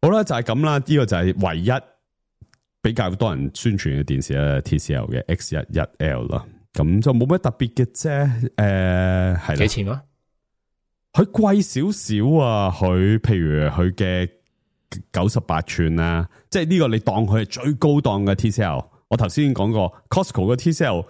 好啦，就係咁啦，呢個就係唯一比較多人宣傳嘅電視啦 ，TCL 嘅 X11L 啦，咁就冇乜特別嘅啫。係啦，幾錢啊？佢貴少少啊，佢譬如佢嘅98寸啊，即係呢個你當佢係最高檔嘅 TCL。我頭先講過 Costco 嘅 TCL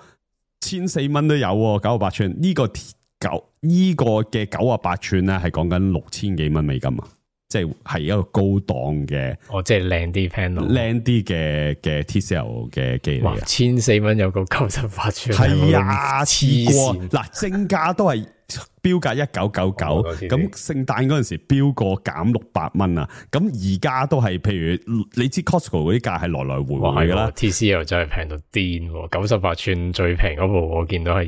$1400都有，98寸呢個嘅98寸咧係講緊$6000幾美金啊，即係一個高檔嘅，即係靚啲 panel， 靚啲嘅 TCL 嘅機嚟。$1400有個98寸，係啊，黐過嗱，正價都係標價1999，咁聖誕嗰陣時標過減600蚊啊！咁而家都係，譬如你知 Costco 嗰啲價係來來回回噶啦 ，TCL 真係平到癲，98寸最平嗰部我見到係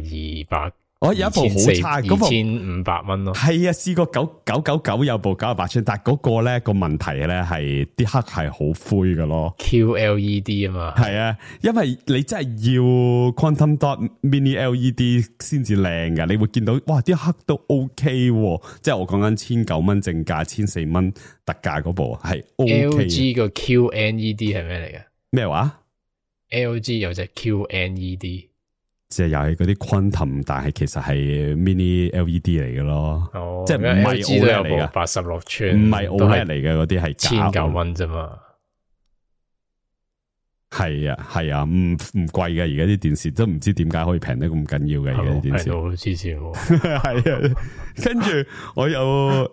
200。有一部好差，嗰部2500蚊咯。係啊，試過999有部98寸，但係嗰個咧個問題咧係啲黑係好灰噶咯。QLED 啊嘛。係啊，因為你真係要 Quantum Dot Mini LED 先至靚噶，你會見到哇啲黑都 OK，即係我講緊1900蚊正價，1400蚊特價嗰部係 OK。LG 個 QNED 係咩嚟嘅？咩話 ？LG 有隻 QNED。即係又係嗰啲 quantum，但係其實係 mini LED 嚟嘅咯，即係唔係 OLED 嚟嘅，86寸，唔係 OLED 嚟嘅嗰啲係1900蚊啫嘛。係啊，唔貴嘅，而家啲電視都唔知點解可以平得咁緊要嘅，而家啲電視平到黐線。係啊，跟住我有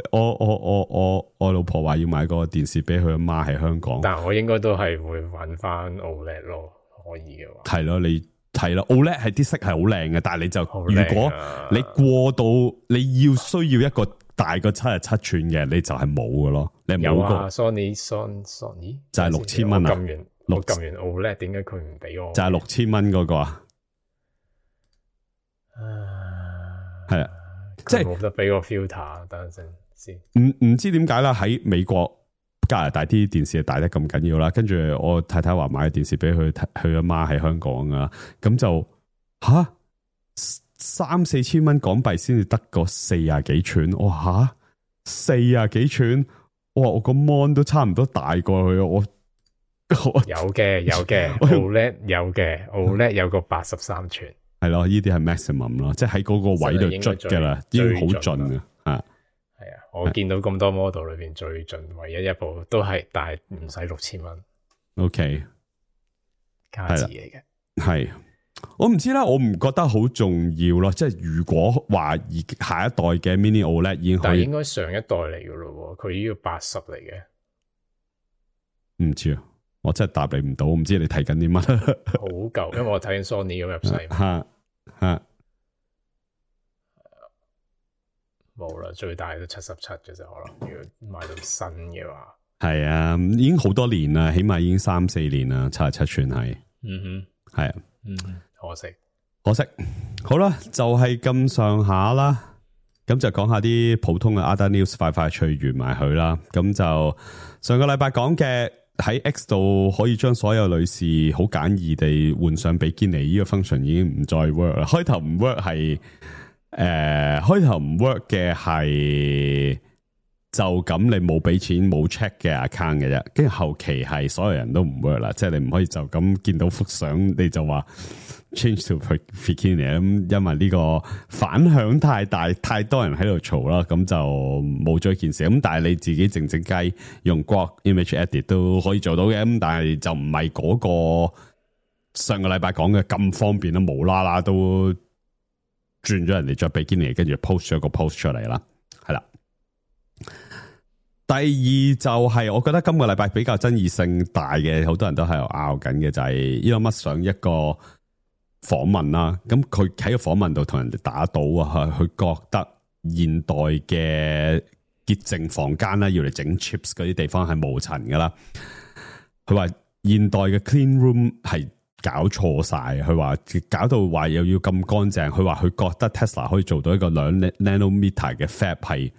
我老婆話要買個電視俾佢阿媽喺香港，但係我應該都係會揾翻 OLED 咯，可以嘅話。係咯，你。係啦 ，OLED 係啲色係好靚嘅，但係你就如果你過到你要需要一個大過77寸嘅，你就係冇嘅咯。你冇個 Sony 就係6000蚊啊！我撳完 OLED，點解佢唔俾我？就係6000蚊嗰個啊！係啊，即係冇得俾個 filter，等陣先。唔知點解啦？喺美國。加拿大啲電視係大得咁緊要啦，跟住我太太話買電視俾佢阿媽喺香港啊，咁就3-4千蚊港幣先至得個40幾寸，哇40幾寸，哇我個 mon 都差唔多大過去，我有嘅 OLED 有嘅 OLED 有個83寸，係咯，呢啲係 maximum 咯，即係喺嗰個位度捽噶啦，已經好盡啊。係啊，我見到咁多 model 裏邊最盡，唯一一部都係，但係唔使6000蚊。OK， 價值嚟嘅。係，我唔知啦，我唔覺得好重要咯。即係如果話下一代嘅 Mini OLED 已經可以，但係應該上一代嚟噶咯，佢呢個80嚟嘅。唔知啊，我真係答你唔到，唔知你睇緊啲乜。好舊，因為我睇緊 Sony 咁入細。吓。冇啦，最大都77嘅啫，可能如果買到新嘅話，係啊，已經好多年啦，起碼已經3-4年啦，77寸係，係啊，可惜，好啦，就係咁上下啦，咁就講下啲普通嘅 other news，快脆完埋佢啦。咁就上個禮拜講嘅喺 X 度可以將所有女士好簡易地換上比基尼呢個 function 已經唔再 work 啦，開頭唔 work 係。開頭唔 work 嘅係就咁你冇俾錢冇 check 嘅 account 嘅啫，跟住後期係所有人都唔 work 啦，即係你唔可以就咁見到幅相你就話 change to bikini 咁，因為呢個反響太大，太多人喺度嘈啦，咁就冇咗一件事。咁但係你自己靜雞用 Grok Image Edit 都可以做到嘅，咁但係就唔係嗰個上個禮拜講嘅咁方便啦，無啦啦都。轉咗人哋着比基尼，跟住 post 咗個 post 出嚟啦，係啦。第二就係我覺得今個禮拜比較爭議性大嘅，好多人都喺度拗緊嘅就係 Elon Musk 上一個訪問啦。咁佢喺個訪問度同人哋打賭啊，佢覺得現代嘅潔淨房間啦，要嚟整 chips 嗰啲地方係無塵噶啦。佢話現代嘅 clean room 係。搞錯晒，佢話搞到話又要咁乾淨，佢話佢覺得 Tesla 可以做到一個2 nanometer 嘅 fab 係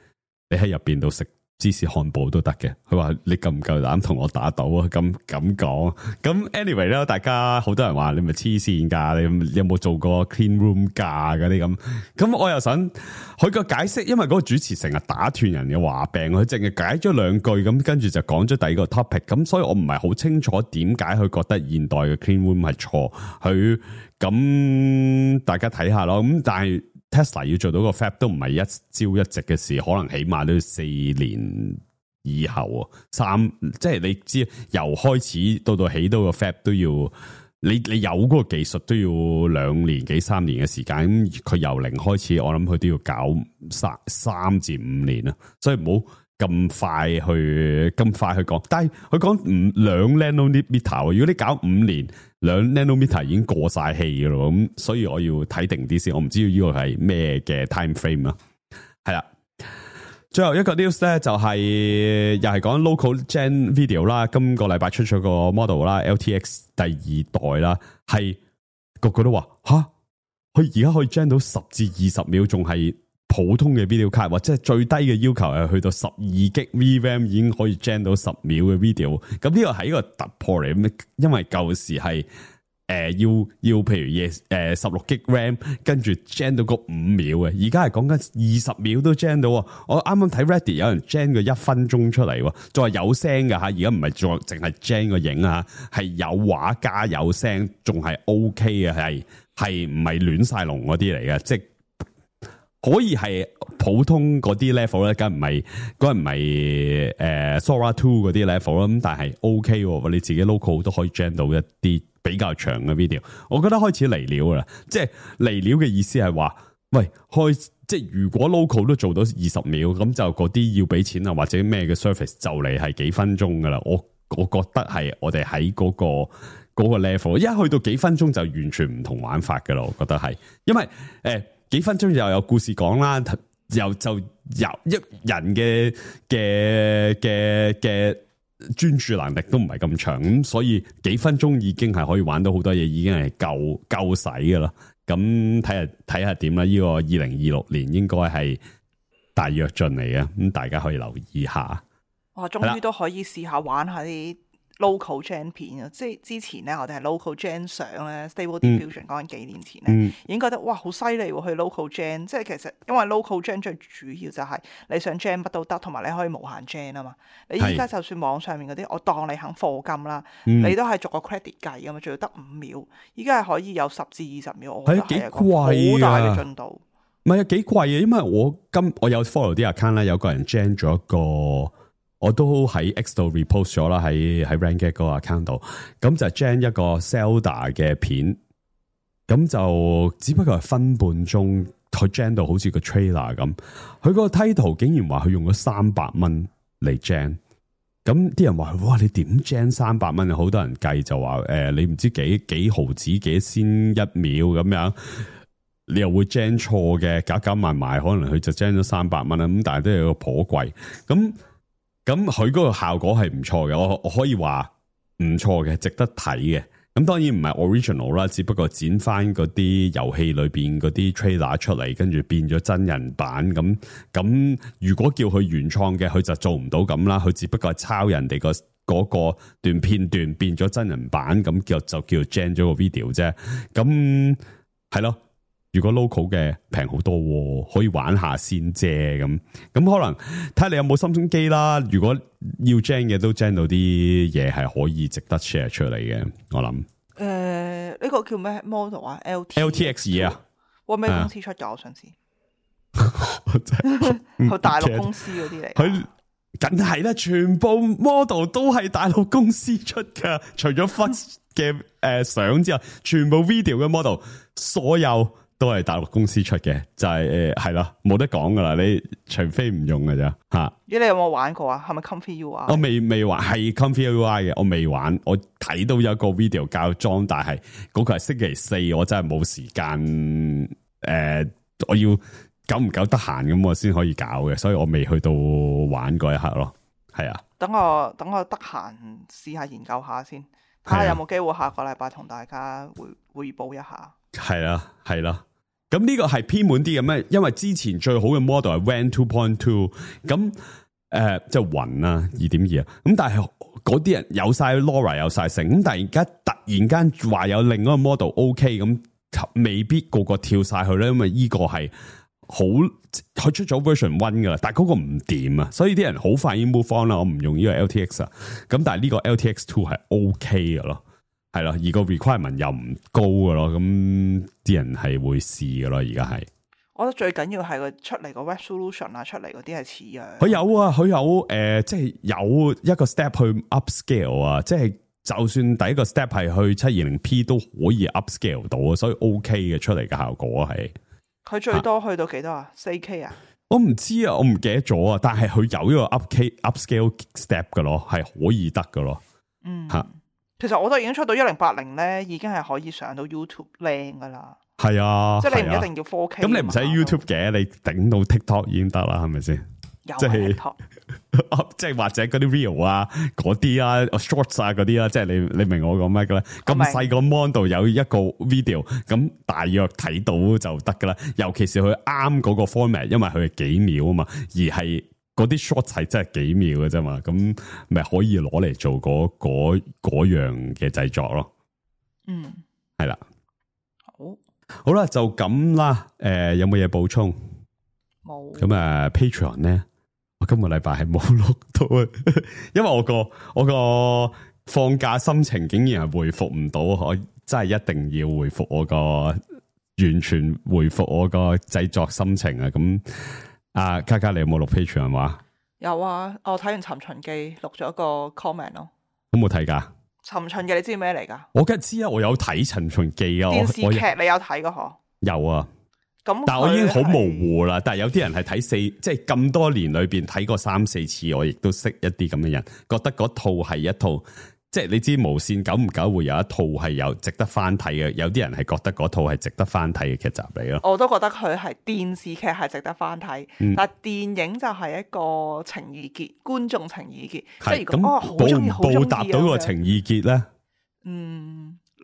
你喺入邊度食芝士漢堡都得嘅。佢話你夠唔夠膽同我打賭啊？咁講，咁 anyway 咧，大家好多人話你咪黐線噶，你有冇做過 clean room 噶嗰啲咁？我又想佢個解釋，因為嗰個主持成日打斷人嘅話病，佢淨係解咗兩句咁，跟住就講咗第二個 topic，咁所以我唔係好清楚點解佢覺得現代嘅 clean room 係錯，佢咁大家睇下咯。咁但係 Tesla 要做到個 fab 都唔係一朝一夕嘅事，可能起碼都要4年以後即係你知由開始到起到個 fab 都要你有嗰個技術都要2年幾3年嘅時間，咁佢由零開始，我諗佢都要搞3至5年啦，所以唔好咁快去講，但係佢講2 nanometer， 如果你搞5年2 nanometer 已經過晒氣噶咯，咁所以我要睇定啲先，我唔知呢個係咩嘅 time frame 啊。係啦，最後一個 news 咧就係又係講 local gen video 啦，今個禮拜出咗個 model 啦 ，LTX 第2代啦，係個個都話吓，佢而家可以 gen 到10至20秒，仲係普通嘅 video 卡，或者係最低嘅要求係去到12GB VRAM 已經可以 gen 到10秒嘅 video， 咁呢個係一個突破嚟，因為舊時係要譬如16GB RAM 跟住 gen 到個5秒嘅，而家係講緊20秒都 gen 到。我啱啱睇 Reddit 有人 gen 個1分鐘出嚟，仲係有聲噶吓，而家唔係淨係 gen 個影啊，係有畫加有聲，仲係 OK 嘅，係唔係亂晒龍嗰啲嚟嘅，即係可以係普通嗰啲 level 咧，梗唔係Sora 2嗰啲 level 啦，咁但係 OK 喎，你自己 local 都可以 gen 到一啲比較長嘅 video， 我覺得開始嚟料啦，即係嚟料嘅意思係話，喂，即係如果 local 都做到20秒，咁就嗰啲要俾錢啊，或者咩嘅 service 就嚟係幾分鐘噶啦，我覺得係我哋喺嗰個 level， 一去到幾分鐘就完全唔同玩法噶啦，我覺得係，因為幾分鐘又有故事講啦，又就由一人嘅專注能力都唔係咁長，咁所以幾分鐘已經係可以玩到好多嘢，已經係夠使㗎啦。咁睇下點啦，呢個2026年應該係大躍進嚟嘅，咁大家可以留意下。哇，終於都可以試下玩下啲 local gen 片啊！即係之前咧，我哋係 local gen 相咧 Stable Diffusion 講緊幾年前咧，已經覺得哇好犀利喎！去 local gen， 即係其實因為 local gen 最主要就係你想 gen 乜都得，同埋你可以無限 gen 啊嘛。你依家就算網上面嗰啲，我當你肯課金啦，你都係逐個 credit 計噶嘛，仲要得5秒。依家係可以有10至20秒，我覺得係一個好大嘅進度。唔係啊，幾貴啊！因為我有 follow 啲 account 啦，有個人 gen 咗一個。我都喺 X 度 repost 咗啦，喺 Ranget 嗰個 account 度，咁就 gen 一個 Zelda 嘅片，咁就只不過係分半鐘，佢 gen 到好似個 trailer 咁，佢個 title 竟然話佢用咗$300嚟 gen，咁啲人話哇你點 gen $300？好多人計就話你唔知幾毫子幾先1秒咁樣，你又會 gen 錯嘅，夾埋可能佢就 gen 咗$300啦，咁但係都有個頗貴咁佢嗰個效果係唔錯嘅，我可以話唔錯嘅，值得睇嘅。咁當然唔係 original 啦，只不過剪翻嗰啲遊戲裏邊嗰啲 trailer 出嚟，跟住變咗真人版。咁如果叫佢原創嘅，佢就做唔到咁啦。佢只不過係抄人哋嗰個段片段變咗真人版，咁就叫 gen 咗個 video 啫。咁係咯。如果 local 嘅平好多，可以玩下先啫咁可能睇下你有冇心中機啦。如果要 gen 嘅都 gen 到啲嘢係可以值得 share 出嚟嘅，我諗。呢個叫咩 model 啊 ？LTX 啊，哇咩公司出㗎？我想知。佢大陸公司嗰啲嚟。佢梗係啦，全部 model 都係大陸公司出㗎，除咗 Fuzz 嘅相之外，全部 video 嘅 model 所有。都係大陸公司出嘅，就係係啦，冇得講噶啦，你除非唔用噶咋吓。你有冇玩過啊？係咪 Comfy UI？我未玩，係 Comfy UI 嘅，我未玩。我睇到有一個 video 教裝，但係嗰個係星期4，我真係冇時間。我要久唔久得閒咁，我先可以搞嘅，所以我未去到玩嗰一刻咯。係啊，等我得閒試下研究下先，睇下有冇機會下個禮拜同大家匯報一下。係啦，係啦。咁呢個係偏滿啲嘅咩？因為之前最好嘅 model 係 WAN 2.2，咁即係雲啦 2.2啊。咁但係嗰啲人有晒 LoRa 有晒成，咁但係而家突然間話有另一個 model OK，咁未必個個跳晒去咧，因為呢個係好佢出咗 version 1噶啦，但係嗰個唔掂啊，所以啲人好快已經 move on 啦。我唔用呢個 LTX 啊，咁但係呢個 LTX 2係 OK 嘅咯。係啦，而個 requirement 又唔高嘅咯，咁啲人係會試嘅咯。而家係，我覺得最緊要係佢出嚟個 resolution 啊，出嚟嗰啲係似樣。佢有啊，佢有即係有一個 step 去 upscale 啊，即係就算第一個 step 係去 720p 都可以 upscale 到啊，所以 OK 嘅出嚟嘅效果係。佢最多去到幾多啊？4K 啊我唔知啊，我唔記得咗啊。但係佢有呢個 upscale step 噶咯，係可以得噶咯。吓，其實我都已經出到1080咧，已經係可以上到 YouTube 靚噶啦。係啊，即係你唔一定要 4K。咁你唔使 YouTube 嘅，你頂到 TikTok 已經得啦，係咪先？即係即係或者嗰啲 Reel 啊，嗰啲啊 Shorts 啊嗰啲啦，即係你明我講咩嘅咧？咁細個 mon 度有一個 video，咁大約睇到就得噶啦。尤其是佢啱嗰個 format，因為佢係幾秒啊嘛，而係嗰啲 Shorts 係真係幾秒嘅啫嘛，咁咪可以攞嚟做嗰樣嘅製作咯。係啦，好啦，就咁啦。有冇嘢補充？冇。咁啊 Patreon 咧？我今個禮拜係冇錄到啊，因為我個放假心情竟然係回復唔到，我真係一定要回復我個完全回復我個製作心情啊！咁啊，嘉嘉你有冇錄 Patreon 話？有啊，我睇完《尋秦記》錄咗個 comment 咯。有冇睇噶？《尋秦記》你知咩嚟噶？我梗係知啊，我有睇《尋秦記》啊。電視劇你有睇噶嗬？有啊。但我已經好模糊啦，但係有啲人係睇即係咁多年裏邊睇過3-4次，我亦都識一啲咁嘅人，覺得嗰套係一套，即係你知無綫久唔久會有一套係有值得翻睇嘅，有啲人係覺得嗰套係值得翻睇嘅劇集嚟咯。我都覺得佢係電視劇係值得翻睇，但係電影就係一個情意結，觀眾情意結，即係如果我好中意好中意，報答到個情意結咧？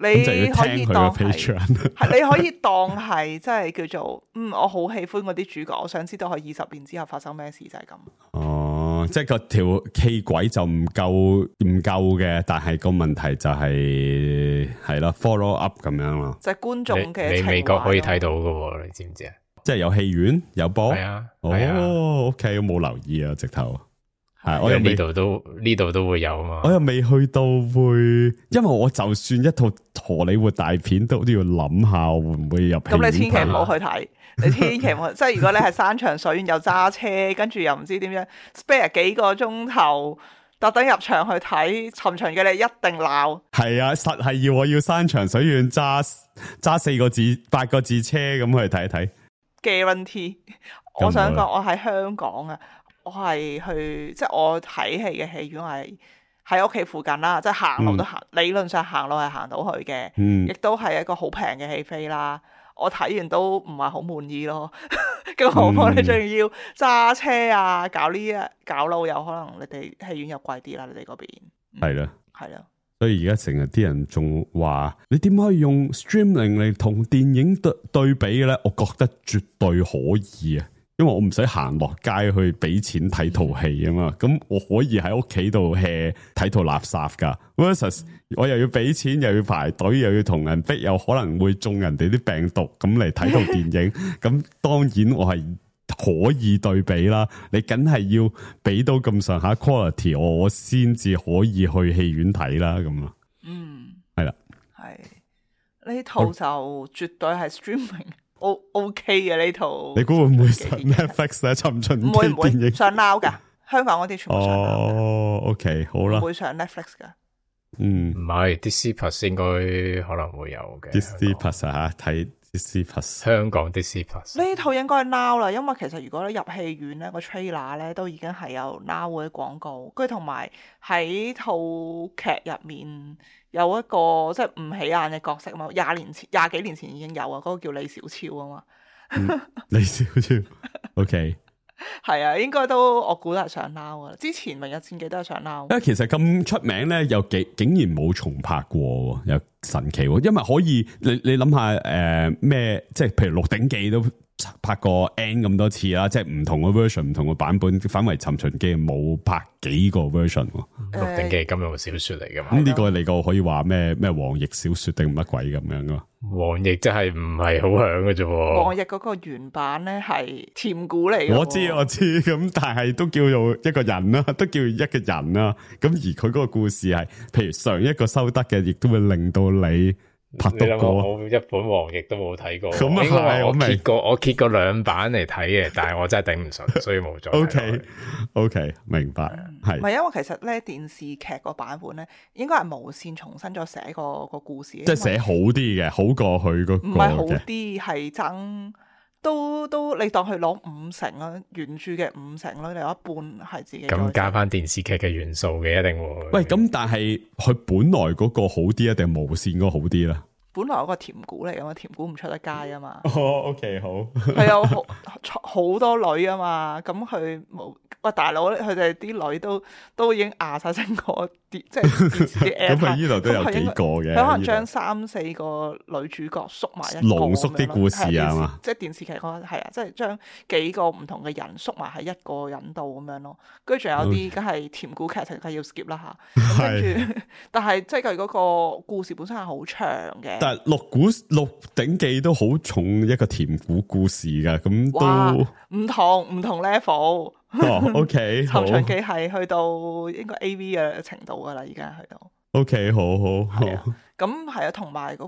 你可以當係，你可以當係，即係叫做，我好喜歡嗰啲主角，我想知道佢20年之後發生咩事，就係咁。哦，即係個條戲軌就唔夠嘅，但係個問題就係啦 follow up 咁樣咯。就係觀眾嘅，你美國可以睇到噶，你知唔知啊？即係有戲院有播，係啊，哦 ，OK，我冇留意啊，直頭。係，我呢度都會有啊嘛。我又未去到會，因為我就算一套荷里活大片都要諗下會唔會入。咁你千祈唔好去睇，你千祈唔好，即係如果你係山長水遠又揸車，跟住又唔知點樣 spare 幾個鐘頭，特登入場去睇《尋秦記》，你一定鬧。係啊，實係我要山長水遠揸8個字車咁去睇一睇。Guarantee， 我想講我喺香港啊。我係去，即係我睇戲嘅戲院係喺屋企附近啦，即係行路都行，理論上行路係行到去嘅，亦都係一個好平嘅戲飛啦。我睇完都唔係好滿意咯，更何況你仲要揸車啊，搞路又可能你哋戲院又貴啲啦，你哋嗰邊係啦，係啦，所以而家成日啲人仲話你點可以用 streaming 嚟同電影對比嘅咧？我覺得絕對可以啊！因為我唔使行落街去俾錢睇套戲啊嘛，咁我可以喺屋企度 hea 睇套垃圾噶 versus 我又要俾錢，又要排隊，又要同人逼，又可能會中人哋啲病毒咁嚟睇套電影，咁當然我係可以對比啦。你梗係要俾到咁上下 quality， 我先至可以去戲院睇啦，咁啊。係啦，係呢套就絕對係 streaming。OK 嘅呢套，你估會唔會上 Netflix 咧？尋秦記電影上 Now 噶，香港嗰啲全部上 Now 嘅。哦，OK，好啦，唔會上 Netflix 噶。唔係 Disney Plus 應該可能會有嘅。Disney Plus 啊，睇 Disney Plus， 香港 Disney Plus 呢套應該係 Now 啦，因為其實如果你入戲院咧，個 trailer 咧都已經係有 Now 嘅廣告，跟住同埋喺套劇入面。有一個即係唔起眼嘅角色嘛，20幾年前已經有啊，嗰個叫李小超啊嘛。李小超，OK，係啊，應該都我估都係上 Now 啊。之前《明日戰記》都係上 Now。其實咁出名咧，又竟然冇重拍過，又神奇。因為可以，你諗下咩？即係譬如《鹿鼎記》都拍過 N 咁多次啦，即係唔同嘅 version、唔同嘅版本，反為《尋秦記》冇拍幾個 version。《鹿鼎記》金庸小說嚟噶嘛？咁呢個你個可以話咩黃易小說定乜鬼咁樣噶？黃易真係唔係好響嘅啫。黃易嗰個原版咧係甜古嚟嘅。我知，咁但係都叫做一個人啦，都叫一個人啦。咁而佢嗰個故事係，譬如上一個收得嘅，亦都會令到你。拍到過，我一本黃易都冇睇過。咁啊，我揭過2版嚟睇嘅，但係我真係頂唔順，所以冇再睇。OK，明白。係。唔係因為其實咧電視劇個版本咧，應該係無綫重新再寫個故事。即係寫好啲嘅，好過佢嗰個。唔係好啲，係爭都你當佢攞50%啦，原著嘅50%啦，你有一半係自己咁加翻電視劇嘅元素嘅，一定會。喂，咁但係佢本來嗰個好啲啊，定無線嗰個好啲咧？本來嗰個甜股嚟噶嘛，甜股唔出得街啊嘛。哦，OK， 好。佢有好多女啊嘛，咁佢冇。喂，大佬，佢哋啲女都已經壓晒成個即係電視啲 app。咁佢呢度都有幾個嘅。佢可能將3-4個女主角縮埋一個，濃縮啲故事啊嘛。即係電視劇嗰個係啊，即係將幾個唔同嘅人縮埋喺一個人度咁樣咯。跟住仲有啲梗係甜故劇情係要 skip 啦嚇。跟住，但係即係佢嗰個故事本身係好長嘅。但係《鹿鼎記》都好重一個甜故事㗎，咁都唔同 level。OK， 尋秦記係去到應該 AV 嘅程度噶啦，而家去到。OK， 好。咁係啊，同埋個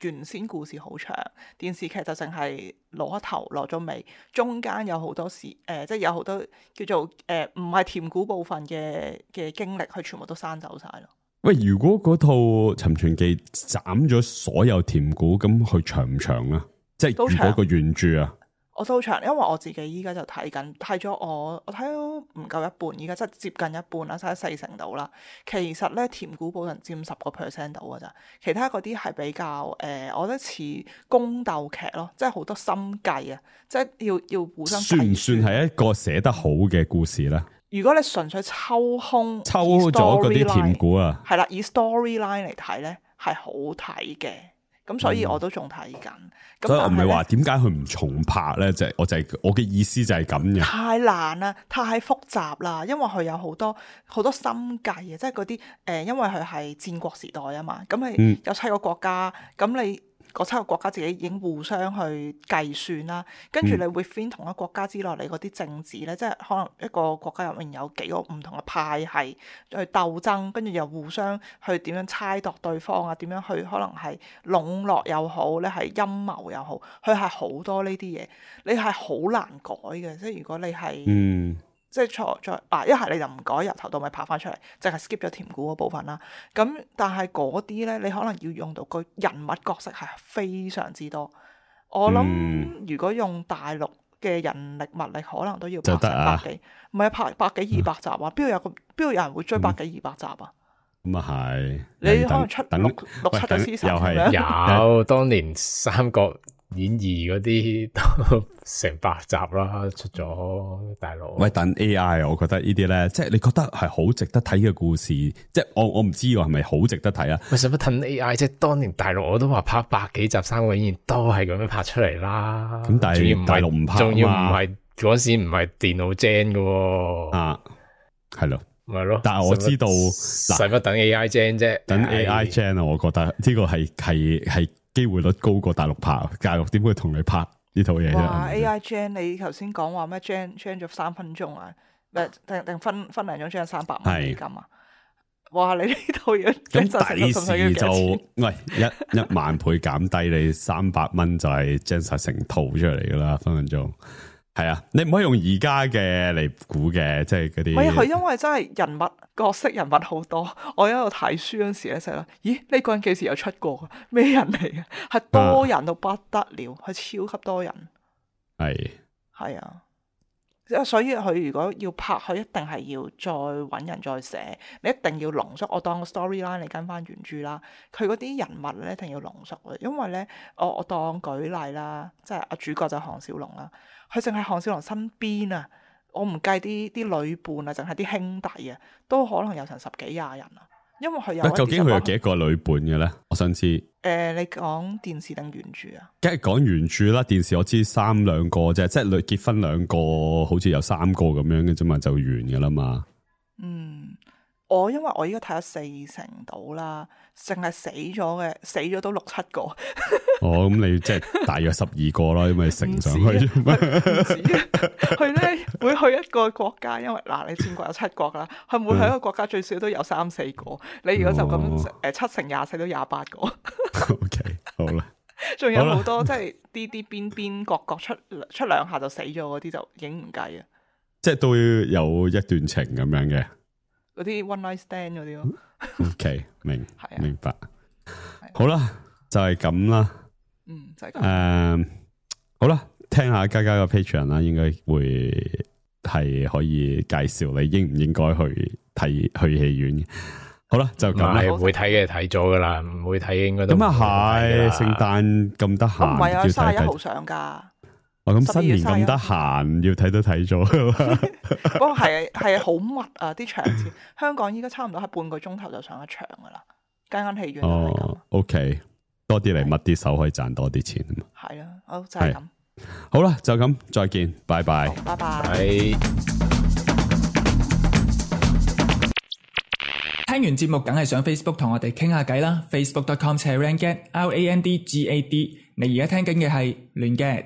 原先故事好長，電視劇就淨係攞頭攞咗尾，中間有好多即係有好多叫做唔係甜故部分嘅經歷，佢全部都刪走晒咯。喂，如果嗰套《尋秦記》斬咗所有甜故，咁佢長唔長啊？即係如果個原著啊？我都好長，因為我自己依家就睇咗我睇咗唔夠一半，依家即係接近一半啦，差40%到啦。其實咧甜故部分佔10% 到噶咋，其他嗰啲係比較我覺得似宮鬥劇咯，即係好多心計啊，即係要互相。算唔算係一個寫得好嘅故事咧？如果你純粹抽空抽咗嗰啲甜故啊，係啦，以 storyline 嚟睇咧係好睇嘅。咁所以我都仲睇緊，所以我唔係話點解佢唔重拍咧？我嘅意思就係咁嘅。太難啦，太複雜啦，因為佢有好多心計啊，即係嗰啲因為佢係戰國時代啊嘛，咁係有7個國家，咁你嗰7個國家自己已經互相去計算啦，跟住你會 within 同一國家之內，你嗰啲政治咧，即係可能一個國家入面有幾個唔同嘅派系去鬥爭，跟住又互相去點樣猜度對方啊，點樣去可能係籠絡又好咧，係陰謀又好，佢係好多呢啲嘢，你係好難改嘅，即係如果你係即係一係你就唔改，由頭到尾拍翻出嚟，淨係 skip 咗甜故嗰部分啦。咁但係嗰啲咧，你可能要用到個人物角色係非常之多。我諗如果用大陸嘅人力物力，可能都要拍成100幾，唔係拍100幾200集啊？邊度有人會追100幾200集啊？咁啊係，你可能出6、7個 season 又係有當年《三國演義》嗰啲都成100集啦，出咗大陸。喂，等 AI， 我覺得呢啲咧，即係你覺得係好值得睇嘅故事，即係我唔知喎，係咪好值得睇啊？喂，使乜褪 AI？即係當年大陸我都話拍100幾集《三國演義》都係咁樣拍出嚟啦。咁但係大陸唔拍，仲要唔係嗰時唔係電腦 gen 嘅啊，係咯。咪咯，但係我知道使乜等 AI gen 啫？等 AI gen 啊，我覺得呢個係機會率高過大陸拍，大陸點會同你拍呢套嘢啫？哇 ！AI gen 你頭先講話咩 gen 咗3分鐘啊？定分零鐘 gen 300蚊美金啊？哇！你呢套嘢咁第時就喂一萬倍減低你300蚊就係 gen 晒成套出嚟噶啦，分分鐘。係啊，你唔可以用而家嘅嚟估嘅，即係嗰啲。唔係佢因為真係人物角色人物好多，我喺度睇書嗰時咧就係啦，咦？呢個人幾時有出過？咩人嚟嘅？係多人到不得了，係超級多人。係啊，所以佢如果要拍，佢一定係要再搵人再寫，你一定要濃縮。我當個 storyline 你跟翻原著啦，佢嗰啲人物咧一定要濃縮嘅，因為咧我當舉例啦，即係阿主角就係項少龍啦。佢淨係項少龍身邊啊，我唔計啲女伴啊，淨係啲兄弟啊，都可能有成10幾20人啊。因為佢有究竟佢有幾個女伴嘅咧？我想知。你講電視定原著啊？梗係講原著啦，電視我知3兩個啫，即係結婚2個，好似有3個咁樣嘅啫嘛，就完㗎啦嘛。因為我依家睇咗40%到啦，淨係死咗都6-7個。咁你即係大約12個啦，因為乘上去。唔止，佢咧會去一個國家，因為你戰國有7國啦，佢每去一個國家最少都有3-4個。你如果就咁7×24都28個。OK， 好啦。仲有好多即係啲邊角出2下就死咗嗰啲就已經唔計啊。即係都有一段情咁樣嘅。嗰啲 one night stand 嗰啲咯。OK， 明白。好啦，就係咁啦。就係咁。好啦，聽下嘉嘉個 Patreon 啦，應該會係可以介紹你應唔應該去戲院。好啦，就咁啦。唔會睇嘅睇咗噶啦，唔會睇嘅應該都。咁啊係，聖誕咁得閒，唔係啊，31號上噶。咁新年咁得閒，要睇都睇咗。不過係好密啊，啲場次。香港依家差唔多係半個鐘頭就上一場噶啦，間戲院都係咁。OK， 多啲嚟密啲手可以賺多啲錢啊嘛。係啦，好就係咁。好啦，就咁，再見，拜拜。拜拜。聽完節目梗係上 Facebook 同我哋傾下偈啦 ，facebook.com/randgad，RANDGAD。你而家聽緊嘅係亂 gad。